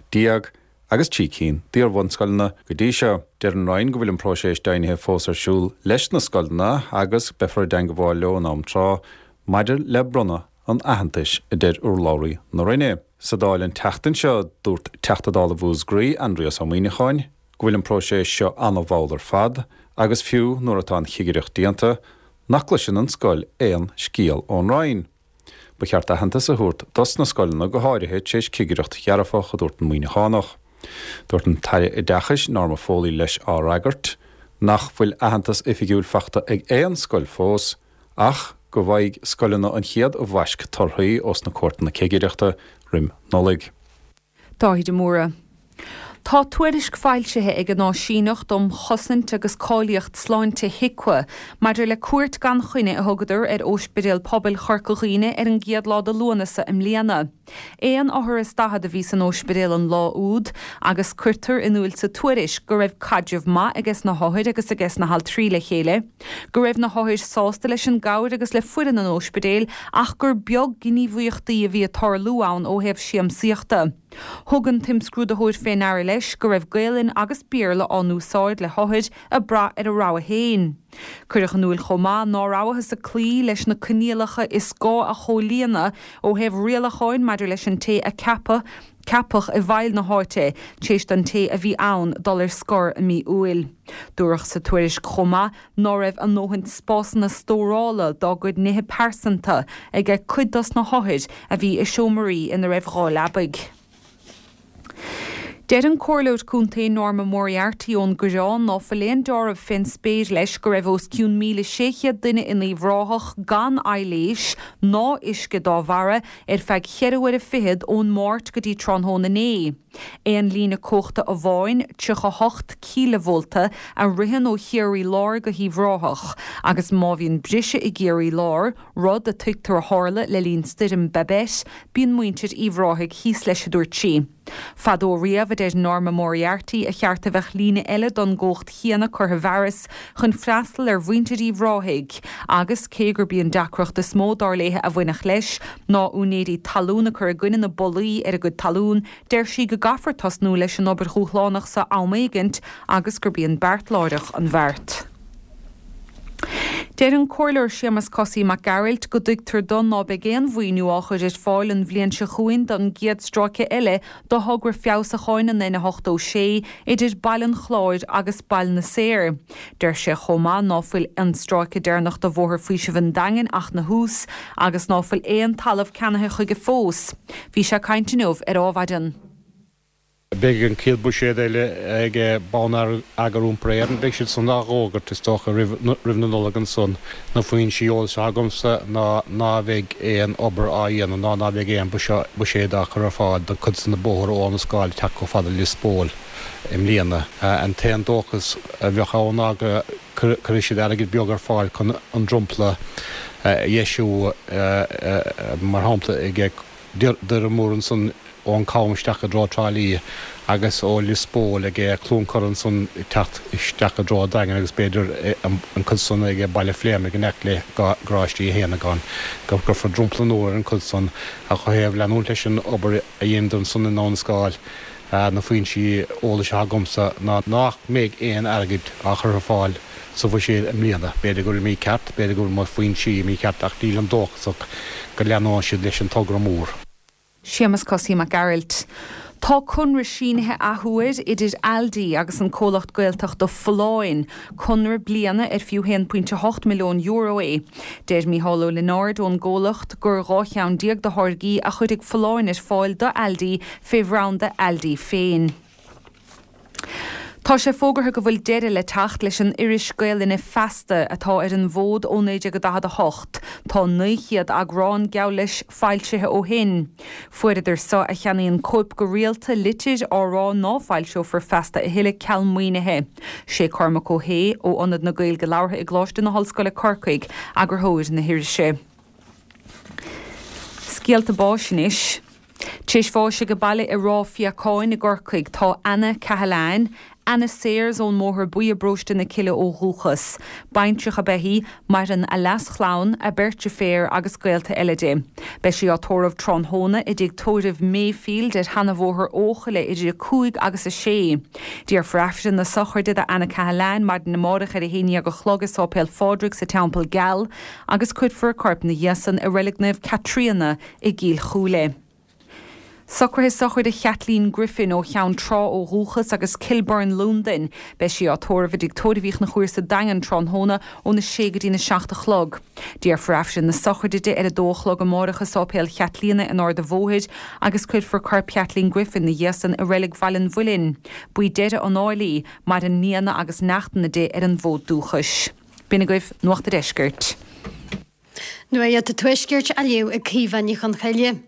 S10: agus 3 cinn d'iar-bhunscoileanna go dtí seo. Deir an Roinn go bhfuil an próiseas deimhnithe fós ar siúl leis na scoileanna agus beifear i dteangabháil leo in am tráth maidir le bronnadh an aitheantais, a deir urlabhraí na Roinne. Sa Dáil an tseachtain seo, dúirt Teachta Dála Mhúscraí, Aindrias Ó Muimhneacháin, go bhfuil an próiseas seo an-mhall ar fad agus fiú nuair atá an chigireacht déanta, nach gcloiseann an scoil aon scéal ón Roinn. Ba cheart aitheantas a thabhairt dos na scoileanna go háirithe tar éis cigireacht dhearfach, a dúirt an Muimhneachánach. Dúirt an tAire Oideachais, Norma Foley leis á fhreagairt, nach bhfuil aitheantas oifigiúil fachta ag aon scoil fós, ach go bhfaighidh scoileanna an chéad bhaisc torthaí ós na cuairteanna cigireachta roim Nollaig.
S9: Dáithí de Mórdha. Tá tuairisc foilsithe ag an Áisíneacht um Chosaint agus Cáilíocht Sláinte, HIQA, maidir le cuairt gan choinne a thugadar ar Óispidéal Pobail Chorca Dhuibhne ar an gcéad lá de Lúnasa i mbliana. Aon othar is 40 a bhí san óispidéal an lá úd agus cuirtear in iúil sa tuairisc go raibh caidreamh maith ages na hothair agus ages na haltraí le chéile, go raibh na hothair sásta leis an gcabhair agus le foireann an óispidéil ach gur beag gníomhaíochtaí a bhí ag tarlú ann ó thaobh siamsaíochta. Thug an t-imscrúdaitheoir fé ndeara leis go raibh Gaelainn agus Béarla á n-úsáid le hothair ag brath ar a rogha féin. Cuireadh in iúil chomh maith ná rabhthas ag cloí leis na coinníollacha is gá a chomhlíonadh ó thaobh rialacháin maidir leis an té a ceapadh ceapadh i bhfeighil na háite tar éis don té a bhí ann dul ar scor i mí Iúil. Dúradh sa tuairisc chomh maith ná raibh a ndóthain spásanna stórála dá gcuid nithe pearsanta ag cuid dos na hothair a bhí i seomraí ina raibh 2 leabaidh. Deir an Comhairleoir Contae Norma Moriarty ón gCoireán ná fuil aon deáramh fén spéir leis go raibh os cionn 1,600 duine in Uíbh Ráthach gan aidhléis ná uisce dá bharra ar feadh cheithre huaire fichead ón Máirt go dtí tráthnóna inné. Aon líne cumhachta amháin, 38 cíleavolta, a ritheann ó Chiarraí Láir go hUíbh Ráthach, agus má bhíonn briseadh i gCiarraí Láir, rud a tuigtear a tharla le linn stoirm Babet, bíonn muintir Uíbh Ráthaigh thíos leis, a dúirt sí. Fadó riamh, a deir Norma Moriarty, a cheart a bheadh líne eile don gcumhacht chéanna curtha i bhfearas chun freastal ar mhuintir Uíbh Ráthaigh, agus cé gurb í an deacracht is mó, dar léithe, a bhainfeadh leis, ná úinéirí talún a cur i gcoinne na bpollaí ar a gcuid talún, deir sí go gcaithfear tosnú leis an obair dhúshlánach so am éigint agus gurb í an beart láithreach an bheart. Deir an Comhairleoir Séamus Cosaí Mac Gearailt go dtuigtear do ná beidh aon mhaoiniú á chur ar fáil an bhliain seo chugainn don gcéad stráice eile do thogra feabhsacháin an N86 idir Baile an Chláir agus Baile na Saor. Deir sé chomh maith ná fuil an stráice deireanach de Bhóthar Faoisimh an Daingin ach 'na thús agus ná fuil aon talamh ceannaithe chuige fós. Bhí sé ag caint inniu ar Ádhmhaidin.
S11: Beidh an chéad bhuiséad eile ag Bonneagar Iompair Éireann. Beidh siad san á dh'fhógairt, is dócha, roimh na Nollag ansan. Na foinsí eolais atá agamsa ná ná bheidh aon obair á dhéanamh ná ná beidh aon buiséad á chur ar fáil don chuid de na bóithre ó Abhainn an Scáil ag teacht chomh fada le Lios Póil i mbliana. An t-aon dóchas a bheadh ann ná go gcuirfidh siad airgead beag ar fáil chun an dromchla a dheisiú, mar shampla ag Doire Mór ansan ón Cam isteach i dtreo Trá Lí agus ó Lios Póil ag Cluain Corra ansan ag teacht isteach i dtreo an Daingin agus b'fhéidir an cuid san ag Baile Phléimeannaigh in aice le Garáistí Uí Shéanagáin go gcuirfear dromchla nua ar an chuid san ach ó thaobh leanúint leis an obair a dheineadar ansan in Abhainn an Scáil na foinsí eolais atá agamsa ná nach mbeidh aon airgead á chur ar fáil sa bhuiséad i mbliana. B'fhéidir go bhfuil mícheart, b'fhéidir go bhfuil mo foinsí mícheart ach nílim dóchasach go leanóidh siad leis an togra mór.
S9: Séamus Cosaí Mac Gearailt. Tá conradh sínithe athuair idir Aldi agus an comhlacht Gaeltachta Folláin, conradh bliana ar fiú €1.8 milliún é. Deir Mícheál Ó Lionáird ón gcomhlacht gur 12 cheann de tháirgí a chuirfidh Folláin ar fáil do Aldi fé bhranda Aldi féin. Tá sé fógartha go bhfuil deireadh le teacht leis an iris Gaelainne Feasta, atá ar an bhfód ó 1948. Tá 900 eagrán, geall leis, foilsithe ó shin. Fuaireadar so a cheannaíonn cóip go rialta litir á rá ná foilseofar Feasta a thuilleadh ceal maoinithe. Sé Cormac Ó hAodha, ó Ionad na Gaeilge Labhartha i gColáiste na hOllscoile Corcaigh, eagarthóir na hirise. Scéalta báis anois. Tar éis bháis age baile i Ráth Fiacháin i gCorcaigh tá Anna Cahalane, Anna Sayers ón mBóthar Buí i bParóiste na Cille ó dhúchas. Baintreach ab ea í, maireann a leaschlann, a beirt deirféar agus gaolta eile di. Beidh sí á tórramh tráthnóna i dtigh tórraimh Mayfield ar Sheanabhóthar Eochaille idir 5 agus 6. Déarfar Aifreann na sochraide d'Anna Cahalane maidin amárach ar a haon dhéag a chlog i Sáipéal Phádraig sa Teampall Geal agus cuirfear a corp 'na dhiaidh san i Reilig Naomh Caitríona i gCill Chúile. Socruithe sochraide Chaitlín Griffin ó Cheann Trá ó dhúchas agus Kilburn, Londain. Beidh sí á tórramh i dTigh Tórraimh Uí Chonchúir sa Daingean tráthnóna óna sé go dtína seacht a chlog. Déarfar Aifreann na sochraide di ar a dó a chlog amárach i Sáipéal Chaitlíona in Ard a' Bhóthair agus cuirfear corp Chaitlín Griffin 'na dhiaidh san i Reilig Bhaile an Mhuilinn. B'í deireadh an áil í. Maireann nianna agus neachtanna di ar an bhfód dúchais. B'in agaibh Nuacht a' Deiscirt.
S12: Nuacht an Tuaiscirt á léamh ag Caoimhe Ní Chonchoille.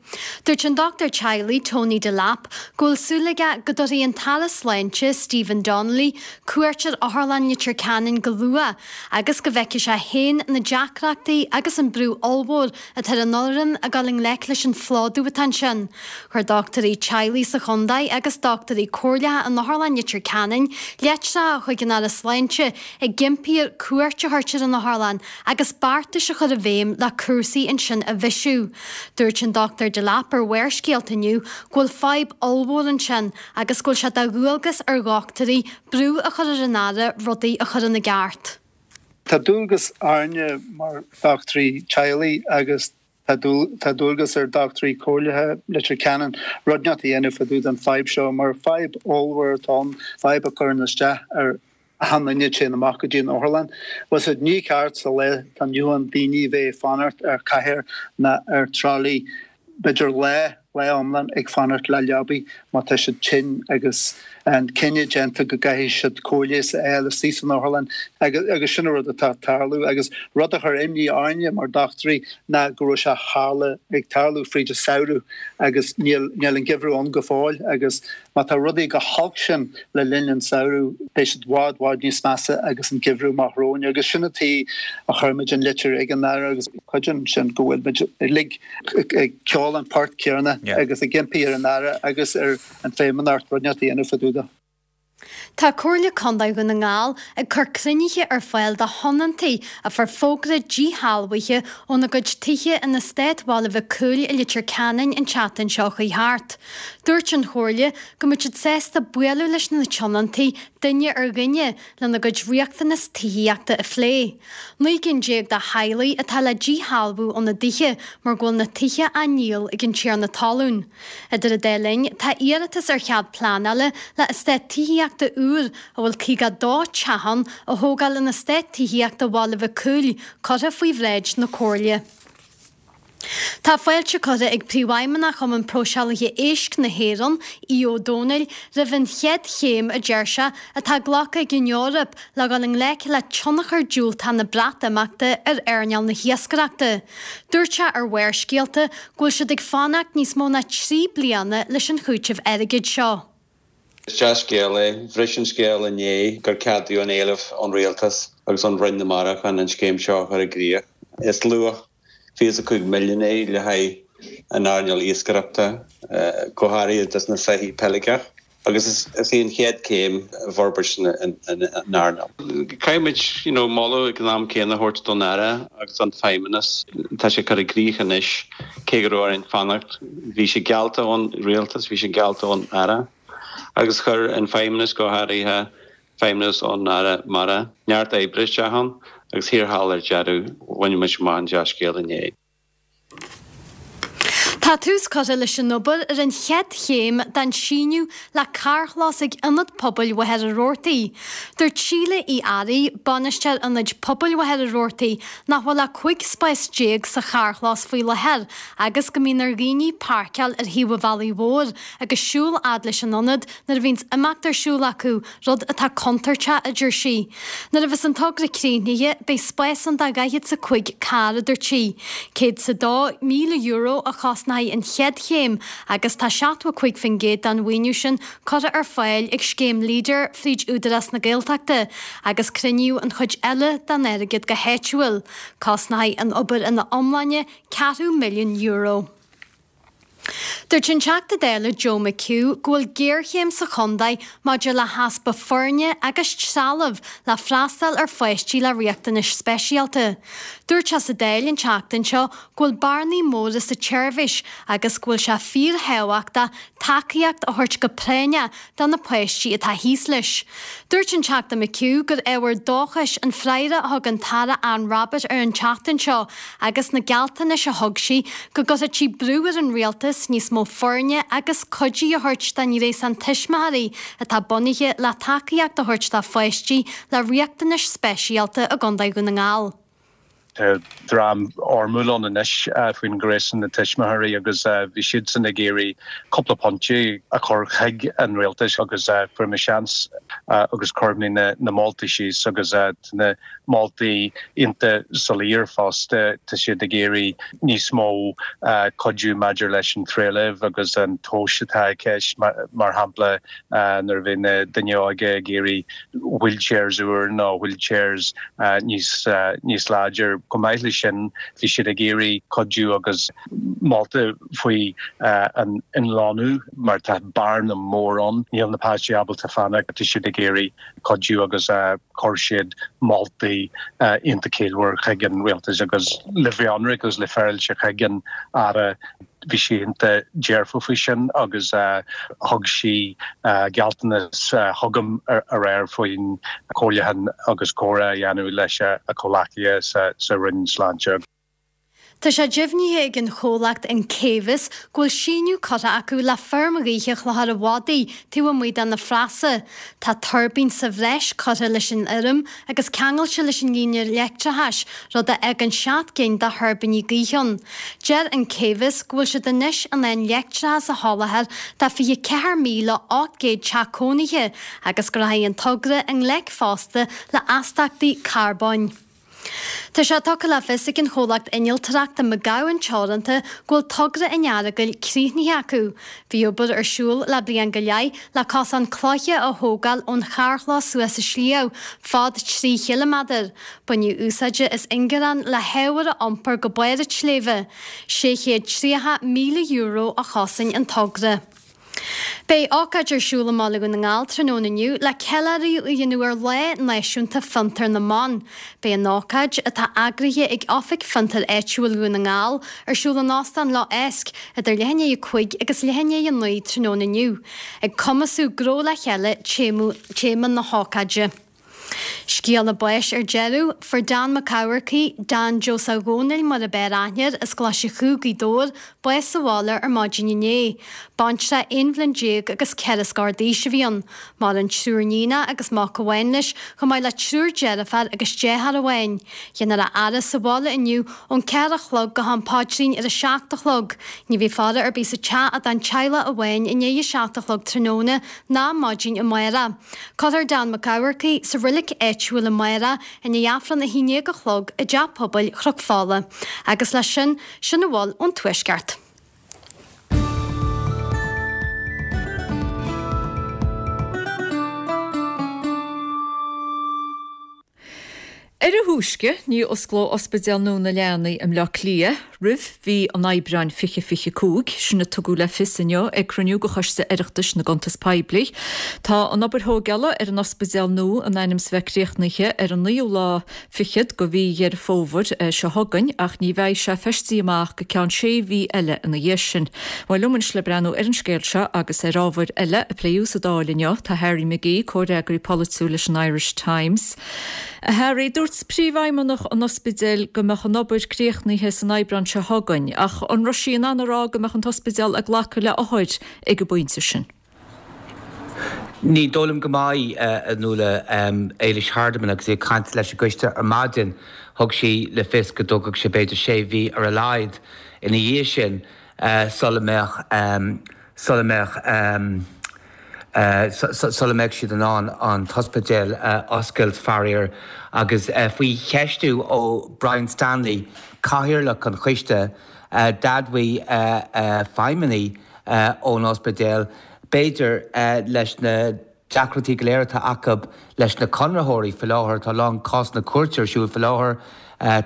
S12: Dúirt an dochtúir teaghlaigh Tony Delap go bhfuil súil aige go dtabharfaidh an tAire Sláinte Stephen Donnelly cuairt ar Otharlann Leitir Ceanainn go luath agus go bhfeicfidh sé féin na deacrachtaí agus an brú ollmhór atá ar an fhoireann ag dul i ngleic leis an phlódú atá ansin. Chuir dochtúirí teaghlaigh sa chontae agus dochtúirí comhairleacha in Otharlann Leitir Ceanainn litreacha chuig an Aire Sláinte ag impí air cuairt a thabhairt ar an otharlann agus beartais a chur i bhfeidhm le cúrsaí ansin a bhisiú. Dúirt an Dr Delap ar Bharrscéalta inniu go bhfuil fadhb ollmhór ansin agus go bhfuil sé de dhualgas ar dhochtúirí brú a chur ar an Aire rudaí a chur ina gceart.
S13: Tá dualgas orainne mar dhochtúirí teaghlaigh agus tá dualgas ar dhochtúirí comhairleacha Leitir Ceanainn rud inteacht a dhéanamh fá dtaobh den fadhb seo mar fadhb ollmhór atá ann, fadhb a chuireann isteach ar achan duine a téann amach go dtí an otharlann. Bhfuil fhios a'd, ní ceart sa lá atá inniu ann daoine a bheith ag fanacht ar chathaoir ná ar trolley b'fhéidir lá. lá iomlán ag fanacht le leabaí má tá siad tinn agus an cinneadh déanta go gcaithfidh siad cóir leighis a fháil istigh san otharlann agus sin an rud atá ag tarlú agus rud a chuir imní orainne mar dochtúirí ná go raibh sé tharla ag tarlú fríd an samhradh agus níl níl an geimhreadh ann go fóill agus má tá rudaí chomh holc sin le linn an samhradh beidh siad bhfad bhfad níos measa agus an geimhreadh amach romhainn agus sin an tuige a chuir muid an litir ag an Aire agus creidim sin go bhfuil muid uilig ag ceol an port céanna agus ag impí ar an Aire agus ar an Feidhmeannacht rud inteacht a dhéanamh fá dtaobh de.
S12: Tá Comhairle Contae Dhún na nGall ag cur cruinnithe ar fáil do thionóntaí a fuair fógra díshealbhaithe óna gcuid tithe in Eastát Bhaile Mhic Cumhaill i Leitir Ceanainn an tseachtain seo chuaigh thart. Dúirt an Chomhairle go mbeadh siad sásta bualadh leis na tionóntaí duine ar dhuine lena gcuid riachtanas tithíochta a phlé. 19 gcinn de theaghlaigh atá le díshealbhú óna dtithe mar go bhfuil na tithe á ndíol ag an tiarna talún. Idir an dá linn, tá iarratas ar chead pleanála le eastát tithíochta úr, a bhfuil 52 teach ann, a thógáil in Eastát Tithíochta Bhaile Mhic Cumhaill, curtha faoi bhráid na Comhairle. Tá fáilte curtha ag Príomhfheidhmeannach Chumann Próiseálaithe Éisc na hÉireann, Aodh Ó Domhnaill, roimh an chéad chéim, a deir sé, atá glactha ag an Eoraip le dhul i ngleic le tionchar diúltach na Breatimeachta ar earnáil na hiascaireachta. Dúirt sé ar Bharrscéalta go bhfuil siad ag fanacht níos mó ná 3 bliana leis an chúiteamh airgid seo.
S14: Is dea-scéal é. Bhris an scéal inné gur ceadaíodh an éileamh ón Rialtas agus ón Roinn na Mara chun an scéim seo a chur i gcrích. Is luach 25 milliún é le haghaidh an earnáil iascaireachta, go háirithe dos na soithí peiligeach, agus is í an chéad céim i bhforbairt an earnáil. Caithfidh muid you know moladh ag an am céanna a thabhairt don Aire agus don Feidhmeannas. Tá sé curtha i gcrích anois, cé go raibh orainn fanacht. Bhí sé geallta ón Rialtas, bhí sé geallta ón Aire agus chuir an Feidhmeannas, go háirithe feidhmeannas ón Aire Mara, neart oibre isteach ann agus thiar thall ar deireadh bhain muid amach an dea-scéal inné.
S12: Tá tús curtha leis an obair ar an chéad chéim den síneadh le carrchlós ag Ionad Pobail Mhachaire Rabhartaigh. Dúirt Síle Uí Fhearraigh, Bainisteoir Ionaid Pobail Mhachaire Rabhartaigh, nach bhfuil ach 15 spás sa charrchlós faoi láthair agus go mbíonn ar dhaoine páirceáil ar thaobh an bhealaigh mhóir agus siúl fhad leis an ionad nuair a bhíonns imeacht ar siúl acu, rud atá contúirteach, a deir sí. Nuair a bheas an togra críochnaithe, beidh spás ann do 45 carr, a dúirt sí. €102,000 a chosnóidh an chéad chéim agus tá 75% den mhaoiniú sin curtha ar fáil ag scéim Leader fríd Údarás na Gaeltachta agus cruinníodh an chuid eile den airgead go háitiúil. Cosnóidh an obair ina iomláine ceathrú milliún euro. Dúirt an Teachta Dála Joe McHugh go bhfuil géarchéim sa chontae maidir le heaspa foirne agus trealaimh le freastal ar pháistí le riachtanais speisialta. Dúirt sé sa Dáil an tseachtain seo go bhfuil bearnaí móra sa tseirbhís agus go bhfuil sé fíorthábhachtach tacaíocht a thabhairt go práinneach do na páistí atá thíos leis. Dúirt an Teachta McHugh gur ábhar dóchais an freagra a thug an tAire Anne Rabbitte air an tseachtain seo agus na gealltanais a thug sí go gcuirfeadh sí brú ar an Rialtas níos mó foirne agus cuidí a thabhairt don ghréasán tuismitheoirí atá bunaithe le tacaíocht a thabhairt do pháistí le riachtanais speisialta i gContae Dhún na nGall.
S15: Tá dream fhoirmiúil ann anois faoin ghréasán na tuismitheoirí agus bhí siadsan ag iarraidh cúpla pointe a chur chuig an rialtas agus fuair mé seans agus chuir mé na moltaí síos agus tá na moltaí iontach soiléir fosta. Tá siad ag iarraidh níos mó cuidiú maidir leis an trealamh agus an tomhas atá i gceist mar shampla nuair a bheidh na daoine óga ag iarraidh wheelchairs úr nó wheelchairs níos níos láidir. Chomh maith leis sin bhí siad ag iarraidh cuidiú agus molta faoi an imlonnú mar tá bearna mór ann. Níl na páistí ábalta fanacht, tá siad ag iarraidh cuidiú agus chuir siad moltaí iontach ciallmhar chuig an rialtas agus le bheith ionraic agus le féaráilte chuig an Aire. Bhí sí iontach dearfach faoi sin agus thug sí gealltanas chugam aréir faoin comhairliúchán agus comhrá a dhéanamh leis a comhleacaithe sa Roinn Sláinte.
S12: Tá sé deimhnithe ag an chomhlacht An Caomhas go bhfuil síneadh curtha acu le feirm ghaoithe Chlochar a' Mhadaidh taobh amuigh de na Frasa. Tá tuirbín sa bhreis curtha leis an fheirm agus ceangailte leis an líne leictreachais, rud a fhágann 7 gcinn de thuirbíní gaoithe ann. Deir An Caomhas go bhfuil siad anois in ann leictreachas a sholáthar do 24,800 teach cónaithe agus go rachaidh an togra i ngleic fosta le astachtaí carbóin. Tá sé tugtha le fios ag an chomhlacht innealtóireachta McGowan Teoranta go bhfuil togra an Earagail críochnaithe acu. Bhí obair ar siúl le bliain go leith le cosán cloiche a thógáil ón charrchlós suas an sliabh, fad 3 chiliméadar. Baineadh úsáid as ingearán le hábhar a iompar go barr an tsléibhe. €630,000 a chosain an togra. Beidh ócáid ar siúl i mBaile Dhún na nGall tráthnóna inniu le ceiliúradh a dhéanamh ar Lá Náisiúnta Fiontar na mBan. Beidh an ócáid, atá eagraithe ag Oifig Fiontair Áitiúil Dhún na nGall, ar siúl in Óstán Loch Eisc idir leath i ndiaidh a 5 agus leath i ndiaidh a 9 tráthnóna inniu. Ag cumasú gnó le chéile téama na hócáide. Scéala báis ar deireadh, Fuair Dan Mac Eamharcaigh, Dan Joseph Dhónaill mar ab fhearr aithne air, as Glaise Chú, Gaoth Dobhair, bás sa bhaile ar maidin inné. Baintreach 11 bhliain agus 4 scór d'aois a bhí ann. Maireann triúr níonach agus mac amháin leis, chomh maith le triúr deirféar agus deartháir amháin. Déanfar a fhaire sa bhaile inniu ón 4 a chlog go ham paidrín ar a 7 a chlog. Ní bheidh faire ar bith sa teach ach don teaghlach amháin i ndiaidh a 7 a chlog tráthnóna ná maidin amárach. Cuirfear Dan Mac Eamharcaigh sa roilig áitiúil amárach i ndiaidh Aifreann 11 a chlog i dTeach Pobail Chnoc Fola. Agus leis sin, sin a bhfuil ón Tuaisceart.
S1: Ar a thúisce, ní osclóidh Ospidéal nua na Leanaí i mBleá Cliath roimh mhí an Aibreáin 2025, sin a tugadh le fios inniu ag cruinniú de Choiste Oireachtais na gCuntas Poiblí. Tá an obair thóigeála ar an ospidéal nua in ainm is a bheith críochnaithe ar an naoú lá fichead de mhí Dheireadh Fómhair seo chugainn ach ní bheidh sé feistithe amach go ceann sé mhí eile ina dhiaidh sin. Bhuel, liom anois le breathnú ar an scéal seo agus ar ábhair eile a pléadh sa Dáil inniu tá Harry McGee, comhfhreagraí polaitiúil leis an Irish Times. A Harry, dúirt príomhfheidhmeannach an ospidéil go mbeadh an obair críochnaithe san Aibreán seo chugainn, ach an raibh sí in ann a rá go mbeadh an t-ospidéal ag glacadh le othair ag an bpointe sin?
S16: Ní dóigh liom go mbeidh, a Nuala. Éilis Hardiman agus í ag caint leis an gcoiste ar maidin, thug sí le fios go dtógfadh sé b'fhéidir sé mhí ar a laghad ina dhiaidh sin sula mbeadh sula mbeadh sula mbeadh siad in ann an t-ospidéal a oscailt, faraor. Agus faoi cheistiú ó Brian Stanley, cathaoirleach an choiste, d'admhaigh feidhmeannaigh ón ospidéal, b'fhéidir, leis na deacrachtaí go léir atá acu leis na conraitheoirí faoi láthair, tá a lán cásanna cúirte ar siúl faoi láthair,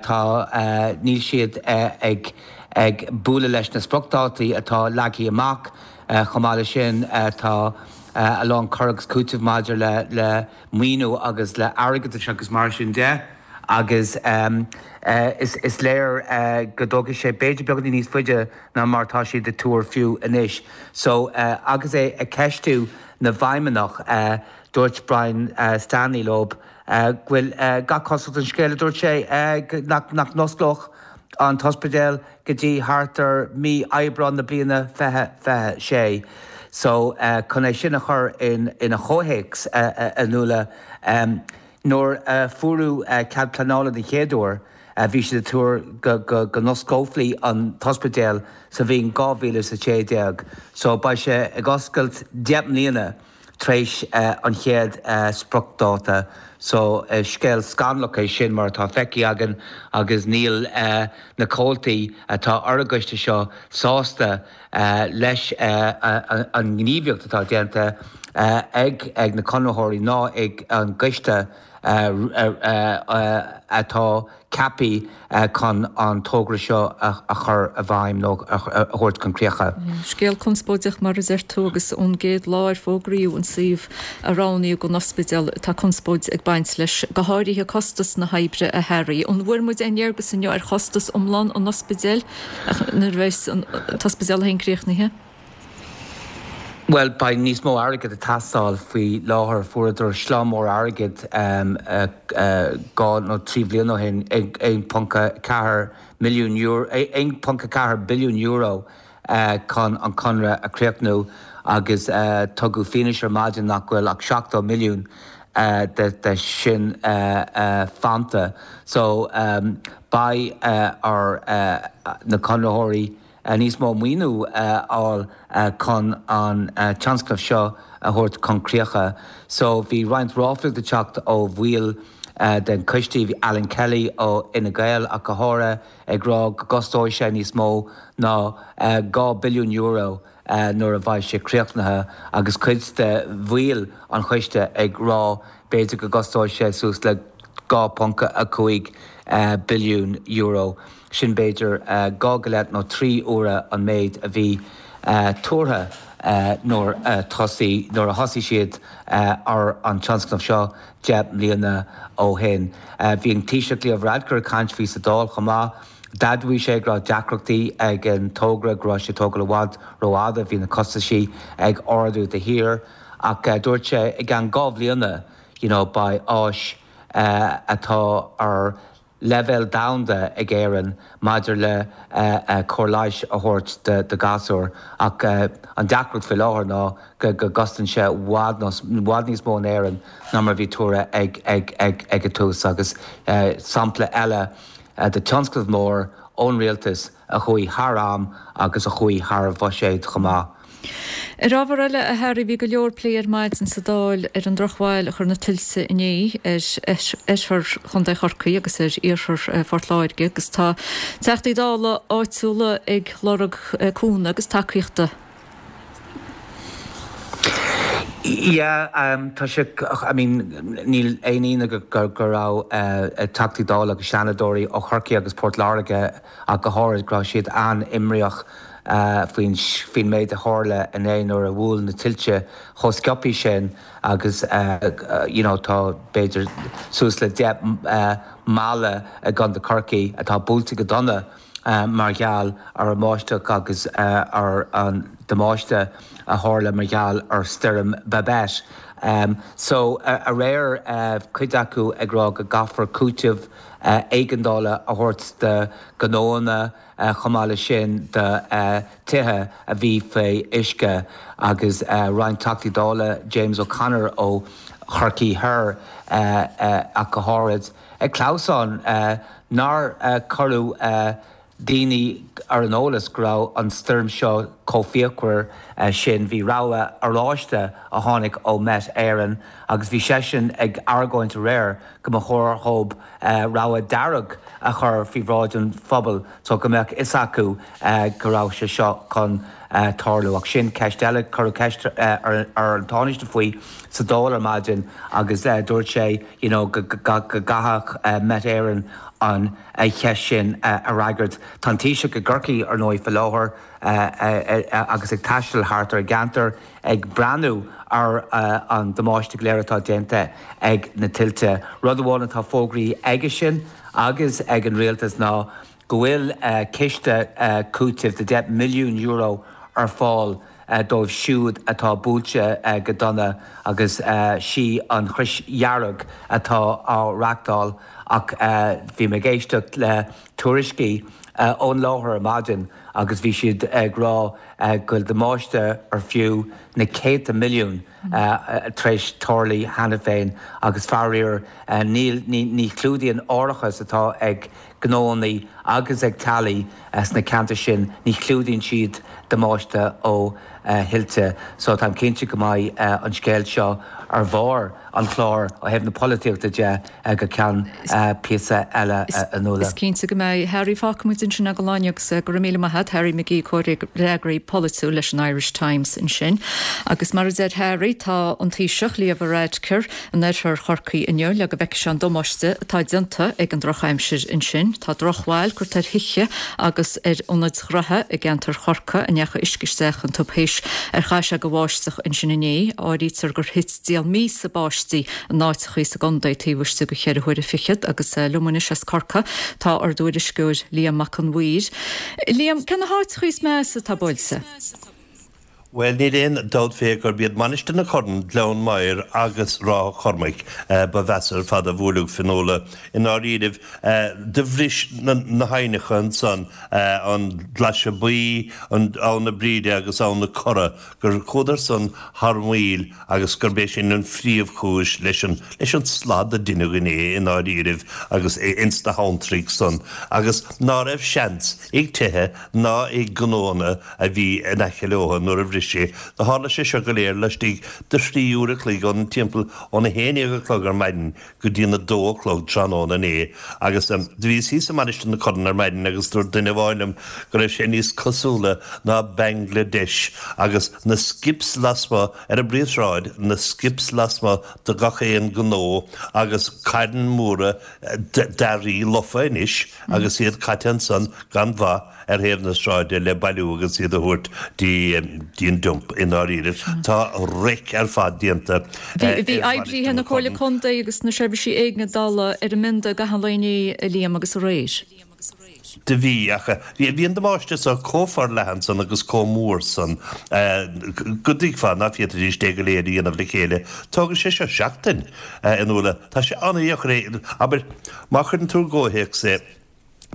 S16: tá, níl siad ag ag bualadh leis na spriocdhátaí atá leagtha amach. Chomh maith leis sin, tá a lán cur agus cúiteamh maidir le le maoiniú agus le airgeadas agus mar sin de agus is is léir go dtógfaidh sé b'fhéidir beagáinín níos faide ná mar atá siad ag tuar fiú anois. So, agus é ag ceistiú na bhfeidhmeannach, dúirt Brian Stanley leo go bhfuil gach cosúlacht ar an scéal, a dúirt sé, nach nach n-osclódh an t-ospidéal go dtí thart ar mí Aibreán na bliana 2026. So, chun é sin a chur ina chomhthéacs, a Nuala, nuair a fuaireadh cead pleanála den chéad uair, bhí siad ag tuar go n-osclófaí an t-ospidéal sa bhliain 2016. So, beidh sé ag oscailt 10 mbliana tar éis an chéad spriocdháta. So, scéal scannalach é sin mar atá feicthe againn agus níl na comhaltaí atá ar an gcoiste seo sásta leis an ngníomhaíocht atá déanta ag na conraitheoirí ná ag an gcoiste atá ceaptha chun an togra seo a chur i bhfeidhm nó a thabhairt chun críche.
S1: Scéal conspóideach mar a deir tú agus ón gcéad lá ar fógraíodh an suíomh a roghnaíodh don ospidéal tá conspóid ag baint leis, go háirithe costas na hoibre a Harry. An bhfuair muid aon léargas inniu ar chostas iomlán an ospidéil nuair a bheas an t-ospidéal féin críochnaithe?
S16: Bhuel, beidh níos mó airgid ag teastáil faoi láthair. Fuaireadar slám mór airgid 2 nó 3 bhliain ó shin, €1.4 milliún, €1.4 billiún chun an conradh a chríochnú agus tugadh fianaise ar maidin nach bhfuil ach 70 milliún de sin fanta. So, beidh ar na conraitheoirí níos mó maoiniú a fháil chun an tionscnamh seo a thabhairt chun críocha. So bhí roinnt ráflaíocht ag teacht ó bhaill den choiste, bhí Alan Kelly ó Fhine Gael ach go háirithe, ag rá go gcostóidh sé níos mó ná €2 billiún nuair a bheidh sé críochnaithe agus cuid de bhaill an choiste ag rá b'fhéidir go gcostóidh sé suas le €2.5 billiún. Sin b'fhéidir 2 go leith nó 3 huaire an méid a bhí tuartha nuair a thosaigh nuair a thosaigh siad ar an tionscnamh seo 10 mbliana ó shin. Bhí an Taoiseach Leo Varadkar ag caint faoi sa Dáil chomh maith. D'admhaigh sé go raibh deacrachtaí ag an togra, go raibh sé ag tógáil i bhfad rófhada, bhí na costaisí ag ardú de shíor ach dúirt sé i gceann 2 bhliana you know beidh áis atá ar leibhéal domhanda ag Éirinn maidir le cóir leighis a thabhairt do ghasúir ach an deacracht faoi láthair ná go gcosnaíonn sé i bhfad i bhfad níos mó in Éirinn ná mar a bhí tuartha ag ag ag ag an tús agus sampla eile de tionscnamh mór ón rialtas a chuaigh thar am agus a chuaigh thar bhuiséad chomh maith.
S1: Ar ábhar eile, a Harry, bhí go leor plé ar maidin sa Dáil ar an drochbhail a chuir na tuilte inné ar oirthear Chontae Chorcaí agus ar iarthar Phort Láirge agus tá Teachtaí Dála áitiúla ag lorg cúnamh agus tacaíochta.
S16: Yeah, tá sé, I mean, níl aon ionadh go raibh Teachtaí Dála agus Seanadóirí ó Chorcaigh agus Port Láirge ach go háirid, go raibh siad an-imníoch faoin faoin méid a tharla inné nuair a bhuail na tuilte chomh sciobthaí sin agus you know tá b'fhéidir suas le 10 mbaile i gContae Chorcaí atá buailte go dona mar gheall ar an mbáisteach agus ar an damáiste a tharla mar gheall ar stoirm Babet. So aréir cuid acu ag rá go gcaithfear cúiteamh éigeandála a thabhairt do ghnóanna chomh maith leis sin do tithe a bhí faoi uisce agus roinnt Teachtaí Dála, James O'Connor ó Chorcaí Thoir ach go háirid, ag clamhsán nár cuireadh daoine ar an eolas go raibh an stoirm seo chomh fíochmhar sin. Bhí rabhadh oráiste a tháinig ó Met Éireann agus bhí seisean ag argóint aréir go mba chóir dhóibh rabhadh dearg a chur faoi bhráid an phobail so go mbeadh fhios acu go raibh sé seo chun tarlú. Ach sin ceist eile. Cuireadh ceist ar an Tánaiste faoi sa Dáil ar maidin agus dúirt sé you know go gcaithfeadh Met Éireann an cheist sin a fhreagairt. Tá an Taoiseach i gCorcaigh ar ndóigh faoi láthair agus ag taisteal thart ar an gceantar ag breathnú ar an damáiste go léir atá déanta ag na tuilte. Rud amháin atá fógraithe aigesean agus ag an rialtas ná go bhfuil ciste cúitimh de €10 milliún ar fáil dóibh siúd atá buailte go dona agus sí an Chrois Dhearg atá á reachtáil ach bhí mé ag éisteacht le tuairiscí ón láthair ar maidin agus bhí siad ag rá go bhfuil damáiste ar fiú na céadta milliún tar éis tarlú cheana féin agus faraor níl ní chlúdaíonn árachas atá ag gnóanna agus ag teaghlaigh sna ceantair sin, ní chlúdaíonn siad damáiste ó thuilte. So táim cinnte go mbeidh an scéal seo ar bharr an chláir ó thaobh na polaitíochta de go ceann píosa eile a Nuala.
S1: Is cinnte go mbeidh. Harry, fágfaidh muid ansin é don lá inniu agus go raibh míle maith agat. Harry McGee, comhfhreagraí polaitiúil leis an Irish Times ansin. Agus mar a deir Harry, tá an Taoiseach, Leo Varadkar, in oirthear Chorcaí inniu le go bhfeicfidh sé an damáiste atá déanta ag an drochaimsir ansin. Tá drochbhail curtha ar thithe agus ar ionaid ghnaithe i gceantar Chorcaí a ndeachaigh uisce isteach iontu théis ar chaith sé de bháisteach ansin inné. Áirítear gur thit diall míosa báistí in áiteachaí sa gcontae taobh istigh de cheithre huaire fichead agus liom anois as Corcaigh tá ár dtuairisceoir Liam Mac Con Mhuir. Liam, cé na háiteachaí is measa atá buailte?
S17: Bhuel, níl aon dabht fé gurb iad Mainistir na Corann, Gleann Maghair agus Ráth Chormaic ba mheasa ar fad a bhuaileadh, Fionnuala. I ndáiríribh, do bhris na haibhneacha ansan, an Glaise Buí, Abhainn na Bríde agus Abhainn na Cora, gur chuadar san thar maoil agus gurb é sin an phríomhchúis leis an leis an slad a deineadh inné i ndáiríribh agus ins na habhantraigh san agus ná raibh seans ag tithe ná ag gnóanna a bhí in aice leotha nuair a bhris sé. Do tharla sé seo go léir laistigh de thrí uair a chloig ón timpeall óna haon dhéag a chlog ar maidin go dtí an 2 a chlog tráthnóna inné agus do bhíos thíos i Mainistir na Corann ar maidin agus dúirt duine amháin liom go raibh sé níos cosúla ná Bangladesh agus na skips lasmuigh ar an bpríomhshráid, na skips lasmuigh de gach aon gnó agus cairn mhóra d'earraí lofa anois agus iad caite ansan gan mhaith. ar thaobh na sráide le bailiú agus iad a thabhairt dtí an dump i ndáiríribh. Tá raic ar fad déanta
S1: ar Bhí oibrithe na Comhairle Contae agus na seirbhísí éigeandála ar an mbionda i gcaitheamh an lae inné, a Liam, agus aréir.
S17: Do bhí, ach bhí an damáiste so chomh forleathan san agus chomh mór san go dtuigfeá ná féadfaidís é go léir a dhéanamh le chéile. Tógfaidh sé seo seachtain, a Fhionnuala. Tá sé an-dheacair é, abair, má chuireann tú i gcomhthéacs é,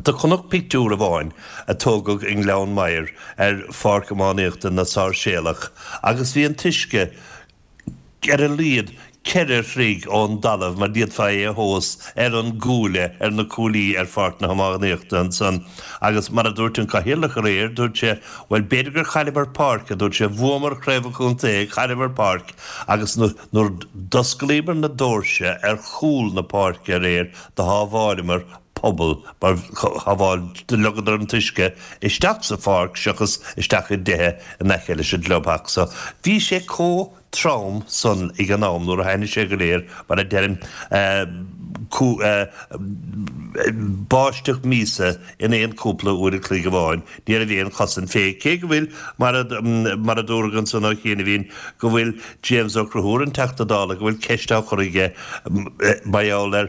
S17: Do chonac pictiúr amháin a tógadh i nGleann Maghair ar pháirc iománaíochta na Sáirséalach agus bhí an t-uisce ar a laghad 4 throigh ón dtalamh mar d'fhéadfá é a thomhas ar an gcuaille, ar na cuaillí ar pháirc na hiománaíochta ansan. Agus mar a dúirt an Cathaoirleach aréir, dúirt sé, bhuel b'fhéidir gur chailleamar páirc, a dúirt sé, bhuamar Craobh an Chontae, chailleamar páirc agus nuair d'osclaíomar na doirse ar chúl na páirce aréir do shábháileamar pobal mar shábháil do leogadar an t-uisce isteach sa pháirc seachas isteach i dtithe in aice leis an gclubtheach so bhí sé chomh trom san ag an am nuair a tháinig sé go léir mar a deirim báisteach míosa in aon chúpla uair a chloig amháin ní raibh aon chosaint fé cé go bhfuil mar a mar a dúradh ansan ó chianaibhín go bhfuil James Ó Conchúir an Teachta Dála go bhfuil ceist á chur aige mar gheall ar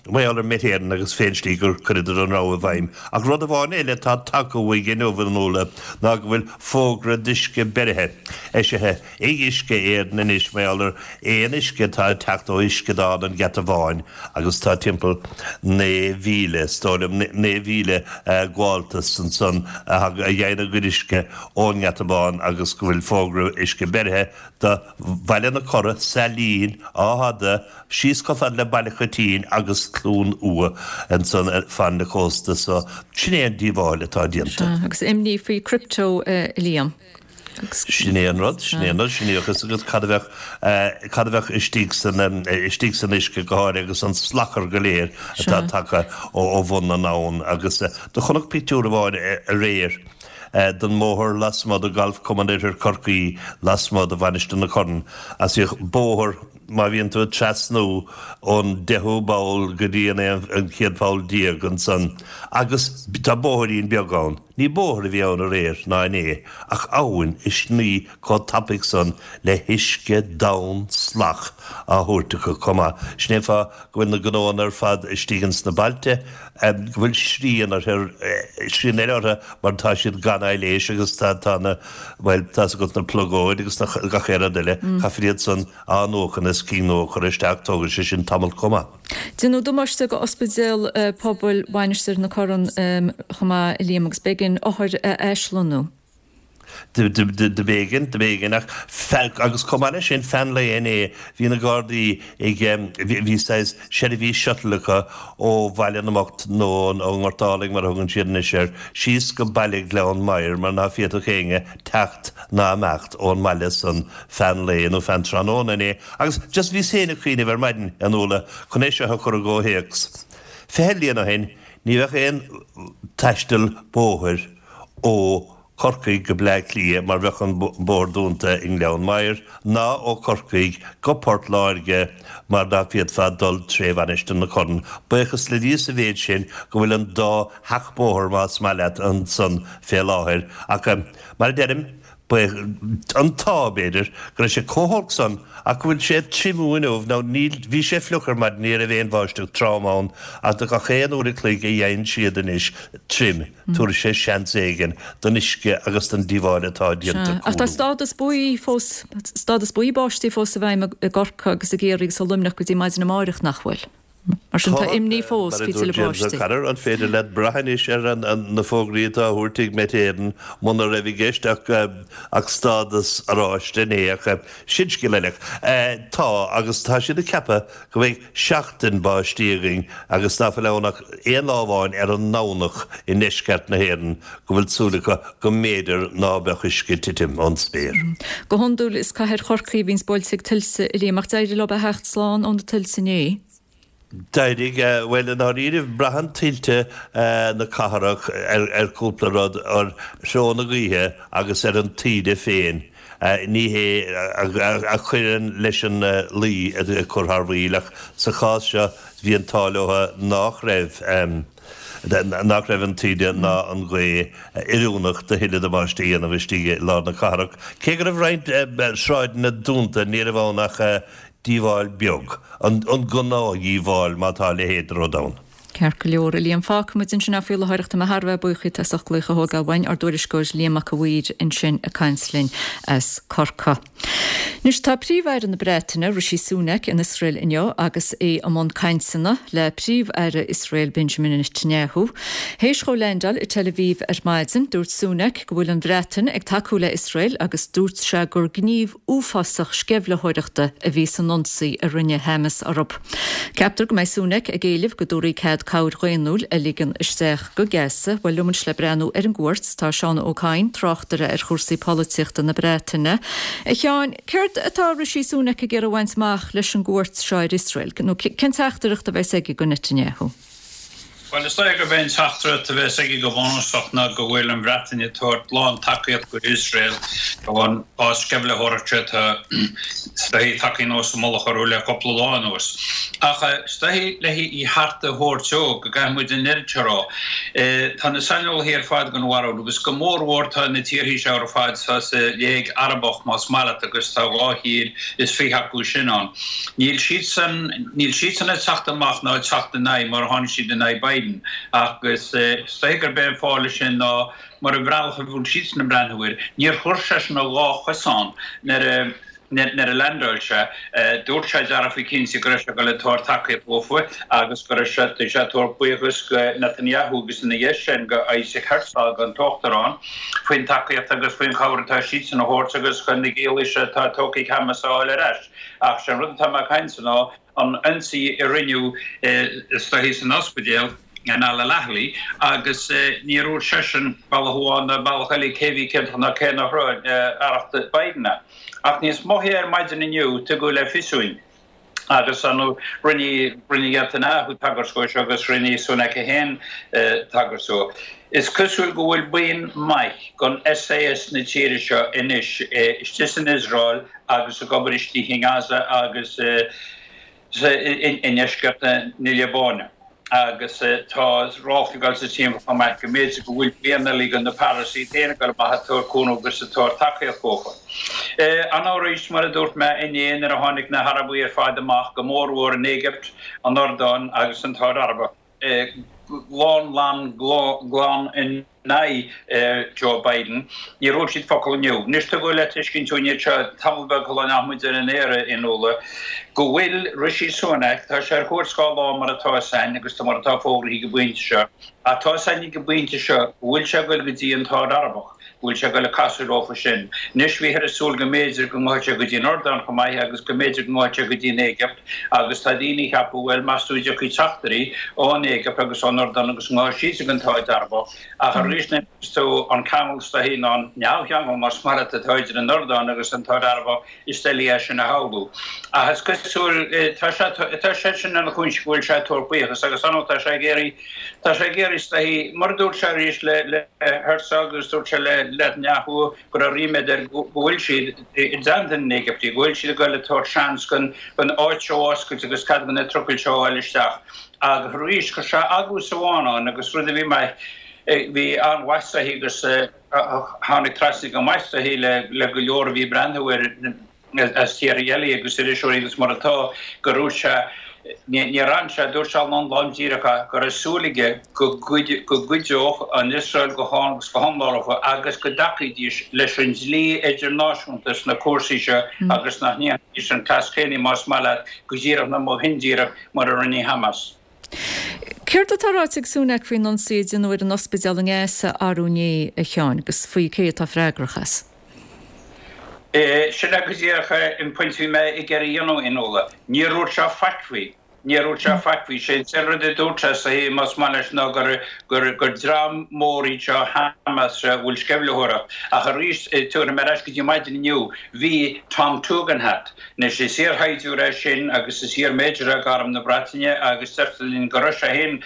S17: Mar gheall ar Met Éireann agus fén slí gur cuireadar an rabhadh i bhfeidhm. Ach rud amháin eile atá tagtha uaidh inniu a Fhionnuala ná go bhfuil fógra d'uisce beirithe eisithe ag Uisce Éireann anois mar gheall ar aon uisce atá ag teacht ó uisceadán an Gheata Bháin agus tá timpeall 9,000, is dóigh liom, 9,000 gabháltas ansan a fhaigheann a gcuid uisce ón nGeata Bán agus go bhfuil fógra uisce beirithe do Bhaile na Cora, Sailín, Áth Fhada, Síos chomh fada le Baile Choitín agus Cluain Umha ansan fan na cósta so sin é an díobháil atá déanta.
S1: Sea, agus imní faoi crypto, a Liam.
S17: Sin é an rud, sin é an rud, sin é a fhios agat cad a bheadh, cad a bheadh istigh san, istigh san uisce go háirithe agus an salachar go léir atá tagtha ó bhun na n-abhann agus do chonac pictiúr amháin aréir den mbóthar lasmuigh de Golf Cumann Oirthear Chorcaí lasmuigh de Mhainistir na Corann agus bhíodh bóthar Má bhíonn tú ag trasnú ón deichiú poll go dtí an an chéad pholl déag ansan agus tá bóithrín beag ann. Ní bóthar a bhí ann aréir ná inné ach abhainn ag sní chomh tapaidh san le huisce donn salach á thabhairt acu chomh maith. Sin é an fáth go bhfuil na gnóanna ar fad istigh ins na bailte, go bhfuil srian orthu, srian eile orthu mar tá siad gan aibhléis agus tá tá na, bhuel, tá's agat na plugóid agus na gach aon rud eile, caithfear iad san a athnuachan is cinn nua a chur isteach, tógann sé sin tamall chomh maith.
S1: Déanadh damáiste go Ospidéal Pobail Mhainistir na Corann chomh maith, a Liam, agus b'éigean othair a eislonnú.
S17: Do b'éigean, do b'éigean ach agus chomh maith leis sin, feadh an lae inné, bhí na Gardaí ag, bhí saghas seirbhís shuttle acu ó Bhaile na mBocht nó ón nGort Álainn mar a thugann siad anois air, síos go baile Ghleann Maghair mar ná féadfadh éinne teacht ná imeacht ón mbaile san feadh an lae nó feadh an tráthnóna inné. Agus just bhíos féin ag cuimhneamh ar maidin, a Fhionnuala, chun é seo a chur i gcomhthéacs. 20 bliain ó shin, ní bheadh aon taisteal bóthair ó Chorcaigh go Bleá Cliath mar bheadh an bóthar dúnta i nGleann Maghair, ná ó Chorcaigh go Port Láirge mar ná féadfá dul tré Mhainistir na Corann. Buíochas le Dia sa mhéid sin go bhfuil an dá sheachbhóthar, más maith leat, ansan fé láthair. Ach mar a deirim. Ba é an t-ádh, b'fhéidir, go raibh sé chomh holc san ach go bhfuil sé ag triomú inniu nó níl, bhí sé fliuch ar maidin, ní raibh aon bháisteach trom ann ach do gach aon uair a chloig a fhaigheann siad anois tirim, tabharfaidh sé seans éigin don uisce agus don díobháil atá déanta
S1: Sea, ach tá
S17: cúlú.
S1: stádas buí fós, stádas buí báistí fós i bhfeidhm i gCorcaigh agus i gCiarraí agus i Luimneach go dtí maidin amáireach, nach bhfuil? Mar sin, tá imní fós
S17: Mar a
S1: faoi
S17: dúirt
S1: tuilleadh
S17: James
S1: báistí.
S17: O'Connor, an féidir leat brath anois ar na fógraí atá á thabhairt ag Met Éireann muna raibh i gceist ach stádas oráiste inné ach sin scéal eile. Tá, agus tá siad ag ceapadh go mbeidh seachtain báistí againn agus ná fuil ann ach aon lá amháin ar an nDomhnach i ndeisceart na hÉireann go bhfuil súil acu go mb'fhéidir ná beadh uisce ag titim ón spéir.
S1: Go hiondúil is cathair Chorcaí a bhíonns buailte ag tuilte, a Liam, ach d'éirigh leo a theacht slán ó na tuilte inné.
S17: D'éirigh. Bhuel, i ndáiríribh, braitheann tuilte na cathrach ar chúpla rud, ar threo na gaoithe agus ar an taoide féin. Ní hé a chuireann leis an luí ag cur thar maoil, ach sa chás seo bhí an t-ádh leo nách raibh. nach raibh an taoide ná an ghaoth oiriúnach do thuilleadh damáiste a dhéanamh istigh i lár na cathrach. Cé go raibh roinnt sráideanna dúnta, ní raibh ann ach díobháil beag, an gnáthdhíobháil má tá a leithéid de rud ann.
S1: Ceart go leor, a Liam. Fágfaidh muid ansin é faoi láthair ach tá mé thar a bheith buíoch díot as ucht glaoch a thógáil uainn, ár dtuairisceoir Liam Mac a' Mhaoir ansin ag caint linn as Corcaigh. Anois, tá Príomh-Aire na Breataine, Rishi Sunak, in Iosrael inniu agus é i mbun cainteanna le Príomh-Aire Iosrael Benjamin Netanyahu. Théis dhó leaindeáil i Tel Aviv ar maidin, dúirt Sunak go bhfuil an Bhreatain ag tacú le Iosrael agus dúirt sé gur gníomh uafásach sceimhlitheoireachta a bhí san ionsaí a rinne Hamas orthu. Ceaptar go mbeidh Sunak ag éileamh go dtabharfaí cead cabhair dhaonnúil a ligean isteach go Gaza. Bhuel, liom anois le breathnú ar an gcuairt tá Seán Ó Cadhain, tráchtaire ar chúrsaí polaitíochta na Breataine. A Sheáin, céard atá Rishi Sunak ag iarraidh a bhaint amach leis an gcuairt seo ar Iosrael, nó cén teachtaireacht a bheas aige go Netanyahu?
S18: Bhuel, is dóigh gurb é an teachtaireacht a bheas aige go bunúsach ná go bhfuil an Bhreatain ag tabhairt lán-tacaíocht go Iosrael don bhás sceimhlitheoireachta atá is dóichí tagtha anuas i mullach orthu le cúpla lá anuas. Ach is dóichí le í cheart a thabhairt dó go gcaithfidh muid an oiread seo a rá. Tá na saineolaithe ar fad den bharúil, agus go mórmhór tá na tíorthaí seo ar fad sa Léig Arabach más maith leat agus tá 224 acu sin ann. Níl siadsan, níl siadsan ag teacht amach ná ag teacht in aghaidh mar a tháinig siad in aghaidh Biden agus is dóiche gurb é an fáth leis sin ná mar an bhealach a bhfuil siadsan ag breathnú air, níor chuir seisean a dhá chosán nuair a nuair a leaindeáil sé. Dúirt sé dearfa cinnte go raibh sé ag dul ag tabhairt tacaíocht dhófa agus go raibh sé ag tabhairt buíochas go Netanyahu agus ina dhiaidh sin go Isaac Herzog, an t-uachtarán, faoin tacaíocht agus faoin chabhair atá siadsan a thabhairt agus chun na giallaí seo atá tógtha ag Hamas a fháil ar ais. Ach sé an rud atá mé ag caint ná an ionsaí a rinneadh is dóichí san ospidéal in Al Ahli agus níor dhúirt seisean bealach amháin ná bealach eile cé bhí ciontach ná cé nach raibh, aireacht Biden. Ach níos moiche ar maidin inniu tugadh le fios dúinn agus rinne Netanyahu tagairt dó seo agus rinne Sunak é féin tagairt dó. Is cosúil go bhfuil buíon maith den SAS na tíre seo anois istigh san Iosrael agus ag obair istigh i nGaza agus i ndeisceart na Liobáine agus tá ráflaí ag dul sa timpeall chomh maith go mb'fhéidir go bhfuil buíon eile de na paras iad féin ag dul amach ag tabhairt cúnamh agus ag tabhairt tacaíocht dhófa. Arís, mar a dúirt mé inné nuair a tháinig na hArabaigh ar fad amach, go mórmhór an Éigipt, an Iordáin agus an tSáid Araibe, lán lán glan in aghaidh Joe Biden. Níor dhúirt siad focal inniu. Anois tugadh le tuiscint dúinn anseo tamall beag shula ndeachaigh muid ar an aer a Fhionnuala, go bhfuil Rishi Sunak, tá sé ar chuairt 2 lá mar atá 'fhios a'inn agus mar atá fógraithe ag an bpointe seo, ach tá 'fhios a'inn ag an bpointe seo go bhfuil sé ag goil go dtí an tSáid Arabach. go bhfuil sé ag goil ag casadh leofa sin. Anois bhíthear ag súil go mb'fhéidir go ngabhfadh sé go dtí an Iordáin chomh maith agus go mb'fhéidir go ngabhfadh sé go dtí an Éigipt agus tá daoine ag ceapadh, bhuel, meas tú an dtiocfaidh teachtairí ón Éigipt agus ón Iordáin agus an ngabhfaidh siadsan go an tSáid Arabach ach arís nuair a fheiceas tú an ceangal is dóichí nó an neamhcheangal más maith leat atá idir an Iordáin agus an tSáid Arabach is doiligh é sin a shamhlú. Ach is cosúil, tá sé, tá sé sin ina chúinse go bhfuil sé ag tabhairt buíochas agus ar ndóigh tá sé ag iarraidh, tá sé ag iarraidh is dóichí, mar a dúirt sé arís le, le Herzog agus dúirt sé le Netanyahu go raibh ríméad air go bhfuil siad i dteannta na nÉigiptigh, go bhfuil siad ag goil ag tabhairt seans don, don áit seo a oscailt agus cead do na trucail seo a fháil isteach. Agus arís, chuir sé agua sa bhfána ann agus rud a bhí maith, bhí an-mhaith is dóichí agus. tháinig trasna go maith is dóichí le go leor a bhí ag breathnú air as tíortha eile agus iriseoirí agus mar atá, go raibh sé, níor fhan sé, dúirt sé lom lom díreach go raibh súil aige go gcuideodh an Iosrael go hiomlán leo agus go dtacaídís leis an dlí idirnáisiúnta sna cúrsaí seo agus nach ndéanfaidís an cleas céanna, más maith leat, go díreach nó go hindíreach, mar a rinne Hamas.
S1: Céard atá ráite ag Sunak faoin ionsaí a déanadh ar an ospidéal i nGaza arú inné, a Sheáin, agus faoi cé atá freagrach as?
S18: Sin é go díreach an pointe a bhí mé ag iarraidh a dhéanamh, a Fhionnuala. Níor dhúirt sé faic faoi. Níor dhúirt sé faic faoi. Sé an t-aon rud a dúirt sé is dóichí, más maith leis, ná gur gur dream mór iad seo Hamas a bhfuil sceimhlitheoireacht. Ach arís, tabharfaidh mé ar ais go dtí maidin inniu, bhí Tom Tugendhat, Anois is iarshaighdiúir é sin agus is iar-Major é d'Arm na Breataine agus deirtear linn go raibh sé féin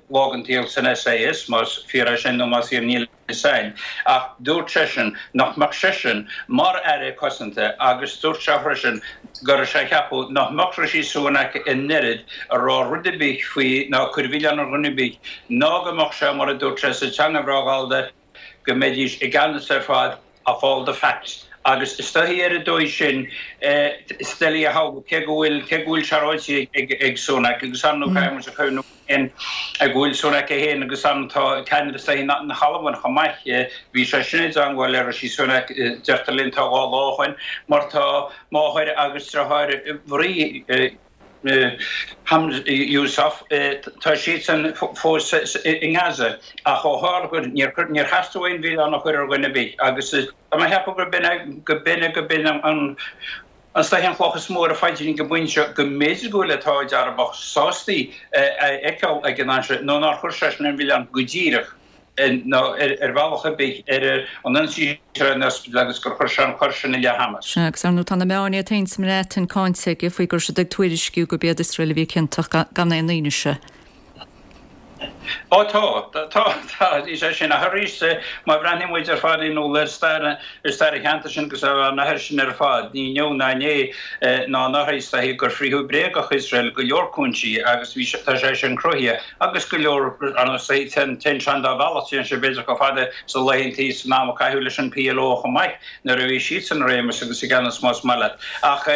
S18: lá den tsaol san SAS, más fíor é sin nó más fíor níl fhios a'inn. Ach dúirt seisean nach mbeadh seisean mar Aire Cosanta agus dúirt sé freisin go raibh sé ag ceapadh nach mbeadh Rishi Sunak in oiread a rá rud ar bith faoi ná cur milleán ar dhuine ar bith ná go mbeadh sé mar a dúirt sé sa teanga bhreá ghallda go mbeidís i gceannas ar fad of all the facts agus is dóichí ar an dóigh sin is doiligh a shamhlú cé go bhfuil cé go bhfuil sé ráite ag ag Sunak agus ar ndóigh caithfidh muid a chuimhniú féin go bhfuil Sunak é féin agus an tá ceannaire is dóichí na hAlban chomh maith bhí sé sin i dteangmháil le Rishi Sunak deirtear linn tá 2 lá ó shoin mar tá máthair agus deartháir Mharie Yousaf, tá siadsan fós i nGaza ach ó tharla gur níor theastaigh aon mhilleán a chur ar dhuine ar bith agus tá mé ag ceapadh gurb in é go b'in é go b'in an is dóichí an chloch is mó ar a phaidrín ag an bpointe seo go mb'fhéidir go bhfuil an tArd Arabach sásta a fheiceáil ag an am seo nó nár chuir seisean an milleán go díreach. nó ar bhealach ar bith ar an ionsaí ar an ospidéal agus gur chuir sé an choir sin i leith Hamas.
S1: Sea, agus ar ndóigh tá na meáin iad féin sa mBreatain cáinte aige faoi go raibh siad ag tuairisciú gurb iad Iosrael a bhí ciontach gan aon fhianaise.
S18: Ó tá, tá, tá, is é sin. Ach arís, má bhreathnaíonn muid ar fad in iúl ar stair, ar stair an cheantair sin agus ar an oirthear sin ar fad, ní inniu ná inné ná anuraidh is dóichí gur frítheadh bréagach Iosrael i go leor cúinsí agus bhí sé, tá sé sin cruthaithe. Agus go leor, ar ndóigh, téann sé an dá bhealach, téann sé b'fhéidir chomh fada sna laethantaí san am a caitheadh leis an PLO chomh maith, nuair a bhí siadsan i réimeas agus i gceannas más maith leat. Ach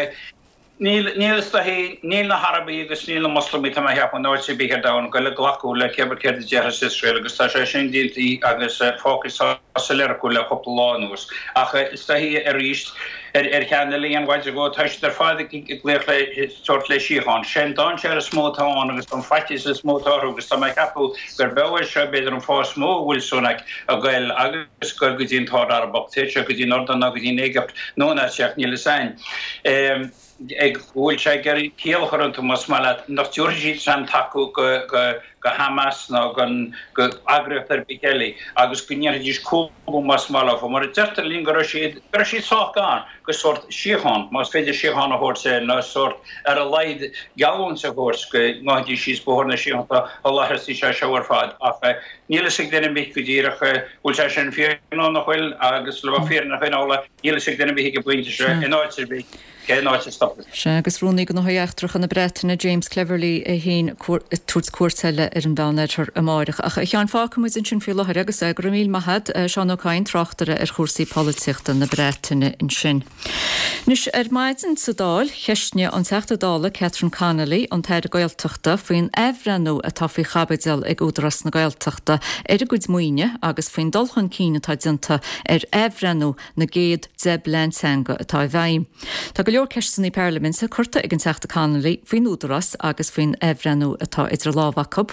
S18: níl, níl is dóichí, níl na hArabaigh agus níl na Moslamaigh, tá mé a cheapadh, in áit ar bith ar domhan, ag goil ag glacadh le cébith céard a déarfas Iosrael agus tá sé sin déanta agus fágtha soiléir acu le cúpla lá anuas. Ach is dóichí arís, ar cheann eile an mhaidin go, tá siad ar fad ag glaoch le tabhairt le síocháin. Sé an dainséar is mó atá ann agus an faitíos is mó atá orthu agus tá mé ag ceapadh gurb é seo b'fhéidir an fáth is mó a bhfuil Sunak ag goil agus ag goil go dtí an tArd Arabach, téid sé go dtí an Iordáin ná go dtí an Éigipt nó an áit ach níl fhios a'inn. Ag go bhfuil sé ag iarraidh ciall a chur iontu más maith leat nach dtabharfaidh siad aon tacú go go Hamas ná go eagraíocht ar bith eile agus go ndéanfaidís cúlú más maith leo. Mar a deirtear linn go raibh siad, go raibh siad sách gar go sórt síocháin, más féidir síocháin a thabhairt air, nó sórt ar a laghad geallúint a thabhairt go ngabhfaidís síos bóthar na síochána a láithreasaí sé seo ar fad. Ach níl fhios ag duine ar bith go díreach bhfuil sé sin fíor nó nach bhfuil agus le bheith fírinneach Fhionnuala, níl fhios ag duine ar bith ag an bpointe seo in áit ar bith. Cén áit a stopfas?
S1: Sea, agus Rúnaí Gnóthaí Eachtracha na Breataine, James Cleverly, é féin ag tabhairt cuairt eile ar an Mheánoirthear amáireach. Ach, a Sheáin, fágfaidh muid ansin faoi láthair agus go raibh míle maith a't, Seán Ó Cadhain, tráchtaire ar chúrsaí polaitíochta na Breataine ansin. Anois, ar maidin sa Dáil, cheistnigh an Teachta Dála Catherine Connolly an tAire Gaeltachta faoin athbhreithniú atá faoi chaibidil ag Údarás na Gaeltachta ar a gcuid maoine agus faoin dul chun cinn atá déanta ar athbhreithniú na gcéad 10 bplean teanga atá i bhfeidhm. Tá go leor ceisteanna parlaiminte curtha ag an Teachta Connolly faoin Údarás agus faoin athbhreithniú atá idir lámha acu.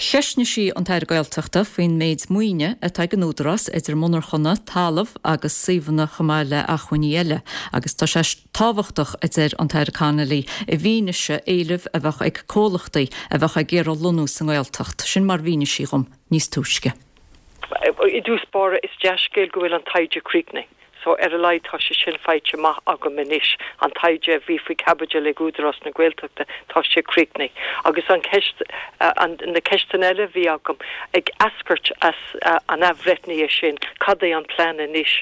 S1: Cheistnigh sí an tAire Gaeltachta faoin méid maoine atá ag an Údarás idir monarchana, talamh agus suíomhanna chomh maith le acmhainní eile agus tá sé tábhachtach, a deir an tAire Connolly, i bhfianaise éilimh a bheadh ag comhlachtaí a bheadh ag iarraidh lonnú sa nGaeltacht. Sin mar a mhínigh sí dhom níos túisce.
S19: I dtús báire, is dea-scéal go bhfuil an taighde críochnaithe. So ar a laghad tá sé sin faighte amach agam anois, an taighde a bhí faoi chaibidil ag Údarás na Gaeltachta, tá sé críochnaithe. Agus an cheist, na ceisteanna eile a bhí agam ag eascairt as an athbhreithnithe sin, cad é an plean anois?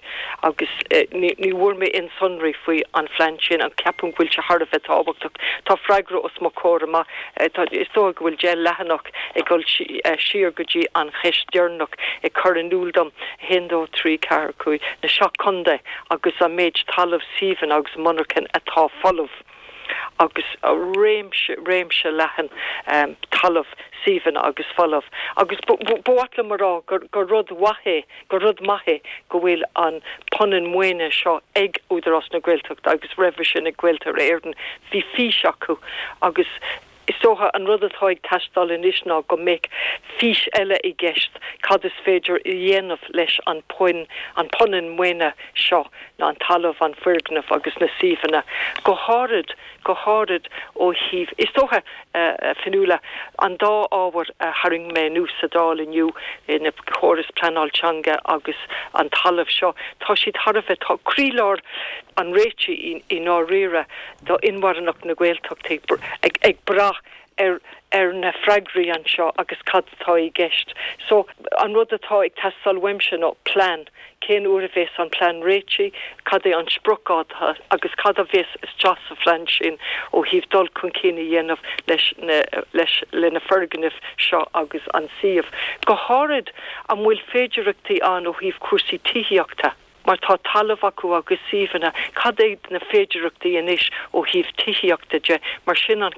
S19: Agus ní bhfuair mé aon sonraí faoi an phlean sin ach ceapaim go bhfuil sé thar a bheith tábhachtach. Tá freagra os mo chomhair amach, is dócha go bhfuil 10 leathanach ag dul siar go dtí an cheist deireanach ag cur in iúl dom, 1, 2, 3, 4, 5, na seacht contae agus an méid talamh, suíomhanna agus monarchan atá folamh agus réimse, réimse leathan talamh, suíomhanna agus folamh. Agus ba mhaith liom a rá gur rud mhaith é, gur rud maith é go bhfuil an punann maoine seo ag Údarás na Gaeltachta agus roimhe sin ag Gaeltarra Éireann. Bhí fís acu agus Is dócha an rud atá ag teastáil anois ná go mbeadh fís eile i gceist, cad is féidir a dhéanamh leis an puinn, an punann maoine seo, ná an talamh, an foirgneamh agus na suíomhanna, go háirid, go háirid ó thaobh, is dócha, a Fionnuala, an dá ábhar a tharraing mé anuas sa Dáil inniu, na córas pleanáil teanga agus an talamh seo, tá siad thar a bheith, tá croílár an réitigh i ndáiríre do inmharthanacht na Gaeltachta ag brath ar ar na freagraí anseo agus cad atá i gceist. So, an rud atá ag teastáil uaimse ná plean. Cén uair a bhéas an plean réitithe, cad é an spriocdháta agus cad a bhéas isteach sa phlean sin ó thaobh dul chun cinn a dhéanamh leis na leis le na foirgnimh seo agus an suíomh. Go háirid, an bhfuil féidireachtaí ann ó thaobh cúrsaí tithíochta? Mar tá talamh acu agus suíomhanna, cad é na féidireachtaí anois ó thaobh tithíochta de, mar sin an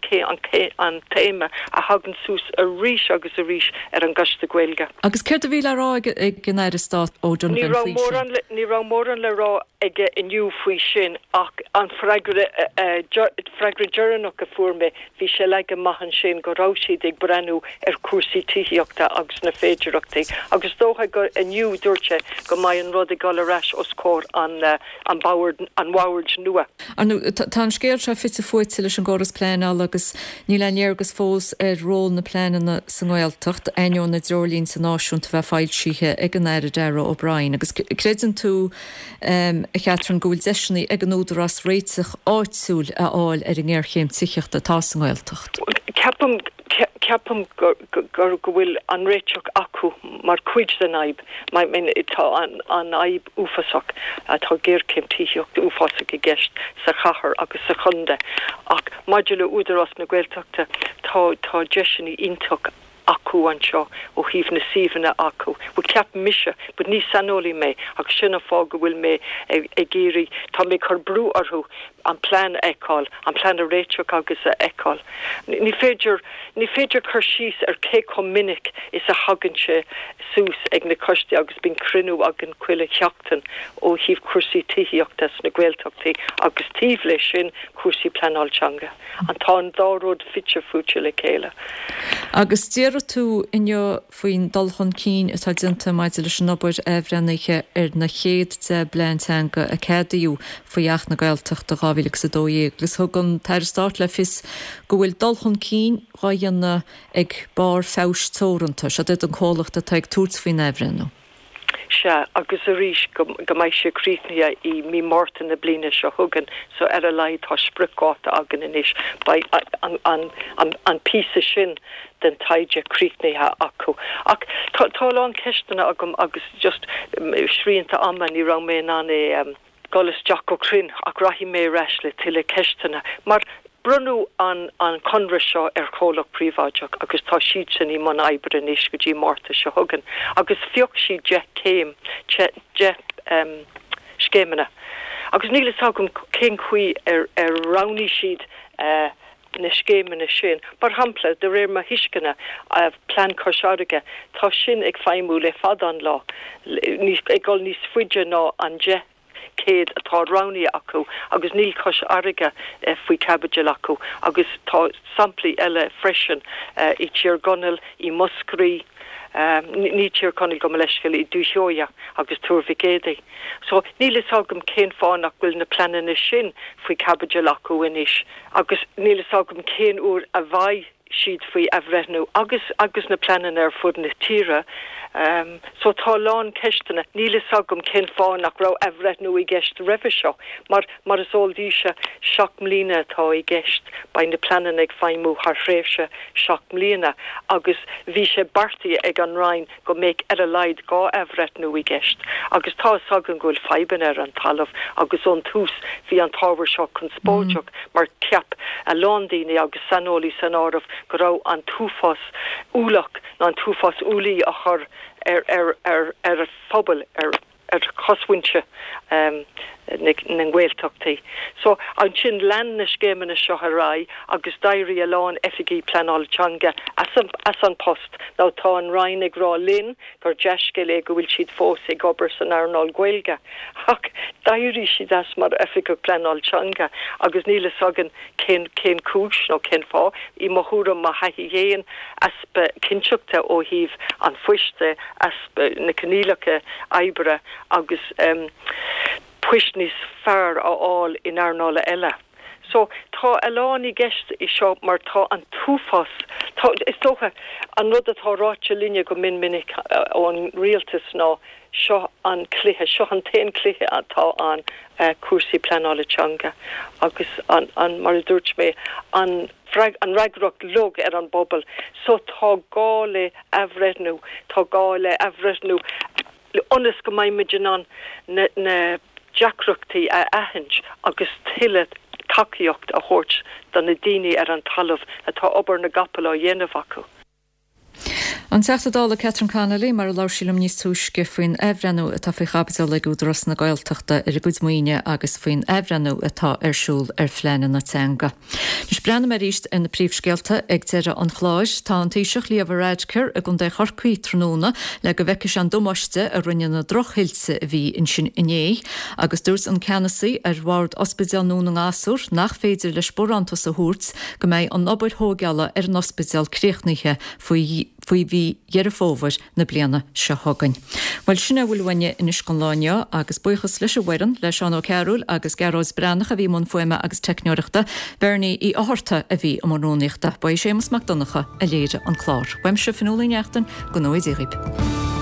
S19: an téama a thagann suas arís agus arís ar an gCoiste Gaeilge.
S1: Agus céard a bhí le rá ag an Aire Stáit O'Donovan faoi sin?
S19: Ní raibh mórán le rá aige inniu faoi sin ach an freagra freagra deireanach a fuair mé, Bhí sé leagtha amach ansin go raibh siad ag breathnú ar chúrsaí tithíochta agus na féidireachtaí agus is dócha gur inniu dúirt sé go mbeidh an rud ag dul ar ais os comhair an an bhoird an bhoird nua.
S1: Ar ndóigh, tá an scéal seo fite fuaite leis an gcóras pleanála agus níl aon léargas fós ar ról na bpleananna sa nGaeltacht, ainneoin na dtreoirlínte náisiúnta bheith foilsithe ag an Aire Darragh O'Brien. Agus creideann tú a Chatherine, go bhfuil deiseanna ag an Údarás réiteach áitiúil a fháil ar an ngéarchéim tithíochta atá sa nGaeltacht.
S19: Ceapaim, ceapaim go, go bhfuil an réiteach acu mar chuid den fhadhb. I mean, tá an, an fhadhb uafásach, tá géarchéim tithíochta uafásach i gceist sa chathair agus sa chontae ach maidir le Údarás na Gaeltachta, tá, tá deiseanna iontach acu anseo ó thaobh na suíomhanna acu. Bhuel, ceapaim mise, but ní saineolaí mé agus sin an fáth go bhfuil mé ag iarraidh, tá mé ag cur brú orthu an plean a fheiceáil, an plean a réiteach agus a fheiceáil. Ní féidir, ní féidir cur síos ar cé chomh minic is a thagann sé suas ag na coistí agus bíonn cruinniú againn chuile sheachtain ó thaobh cúrsaí tithíochta sna Gaeltachtaí agus taobh leis sin cúrsaí pleanáil teanga. An tá an dá rud fite fuaite le chéile.
S1: Agus d'iarr tú inniu faoin dul chun cinn atá déanta maidir leis an obair athbhreithnithe ar na chéad 10 bplean teanga a ceadaíodh faoi Acht na Gaeltachta 2012 agus thug an tAire Stáit le fios go bhfuil dul chun cinn dhá dhéanamh ag Barr Feabhais Teoranta, siod iad an comhlacht atá ag tabhairt faoin athbhreithniú.
S19: Sea, agus arís, go mbeidh sé críochnaithe i mí Márta na bliana seo chugainn, so ar a laghad tá spriocdháta againn anois, beidh an píosa sin den taighde críochnaithe acu. Ach tá a lán ceisteanna agam agus just srianta ama, ní raibh mé in ann é. dul isteach go cruinn ach rachaidh mé ar ais le tuilleadh ceisteanna mar bronnadh an an conradh seo ar chomhlacht príobháideach agus tá siadsan i mbun oibre anois go dtí Márta seo chugainn agus phioc siad 10 céim, 10 scéimeanna agus níl fhios agam cén chaoi ar ar roghnaigh siad na scéimeanna sin. Mar shampla, de réir mo thuisceana, Plean Chois Fharraige, tá sin ag feidhmiú le fada an lá, ag dul níos faide ná an 10 céad atá roghnaithe acu agus níl Cois Fharraige faoi chaibidil acu agus tá samplaí eile freisin i dTír Chonaill, i Muscraí, ní Tír Chonaill gabh mo leithscéal, i Dúiche Sheoighe agus Tuar Mhic Éadaigh. So, níl fhios agam cén fáth nach bhfuil na pleananna sin faoi chaibidil acu anois. Agus níl fhios agam cén uair a bheidh. siad faoi athbhreithniú agus agus na pleananna ar fud na tíre. So tá a lán ceisteanna. Níl fhios agam cén fáth nach raibh athbhreithniú i gceist roimhe seo mar mar is eol daoibhse 7 mbliana atá i gceist. Beidh na pleananna ag feidhmiú thar thréimhse 7 mbliana agus bhí sé beartaithe ag an Roinn go mbeadh ar a laghad 2 athbhreithniú i gceist agus tá fhios againn go bhfuil fadhbanna ar an talamh agus ón tús bhí an t-ábhar seo conspóideach mar cheap a lán daoine agus saineolaí san áireamh go raibh an t-uafás ualach nó an t-uafás ualaí á chur ar ar ar ar phobal ar ar chosmhuintir na nGaeltachtaí. So, ansin lean na scéimeanna seo ar aghaidh agus d'éirigh a lán oifigí pleanála teanga as an as an post. Now tá an Roinn ag rá linn gur dea-scéal é go bhfuil siad fós ag obair san earnáil Gaeilge ach d'éirigh siad as mar oifigeach pleanála teanga agus níl fhios againn cén cén cúis nó cén fáth. I mo thuairim, mo thaithí fhéin, easpa cinnteachta ó thaobh an phoist de, easpa na coinníollacha oibre agus poist níos fearr a fháil in earnála eile. So, tá a lán i gceist i seo mar tá an t-uafás, tá, is dócha, an rud atá ráite linne go mion minic ón rialtas ná seo an cluiche, seo an t-aon cluiche atá ann, cúrsaí pleanála teanga agus an, an, mar a dúirt mé, an, an fhreagracht uilig ar an bpobal. So tá gá le athbhreithniú, tá gá le athbhreithniú ionas go mbeidh muid in ann na deacrachtaí a aithint agus tuilleadh tacaíocht a thabhairt do na daoine ar an talamh atá obair na gcapall á dhéanamh acu.
S1: An Teachta Dála Catherine Connolly, mar a labhair sí liom níos túisce faoin athbhreithniú atá faoi chaibidil ag Údarás na Gaeltachta ar a gcuid maoine agus faoin athbhreithniú atá ar siúl ar phleananna teanga. Anois breathnóidh mé arís ar na príomhscéalta ag deireadh an chláir. Tá an Taoiseach Leo Varadkar i gContae Chorcaí tráthnóna le go bhfeicfidh sé an damáiste a rinne na drochthuilte a bhí ansin inné agus dúirt an ceannasaí ar bhord Ospidéal Dhún na nGasúr nach féidir leis barántas a thabhairt go mbeidh an obair thóigeála ar an ospidéal críochnaithe faoi faoi mhí Dheireadh Fómhair na bliana seo chugainn. Bhuel, sin é a bhfuil uainne anois don lá inniu agus buíochas leis an bhfoireann, le Seán Ó Cearúil agus Gearóid Breathnach a bhí i mbun fuaime agus teicneoireachta, Bernie Uí Fhátharta a bhí i mbun rúnaíochta. Ba é Séamus Mac Donncha a léirigh an clár. Uaimse, Fionnuala Ní Neachtain, go ngnóthaí Dia dhaoibh.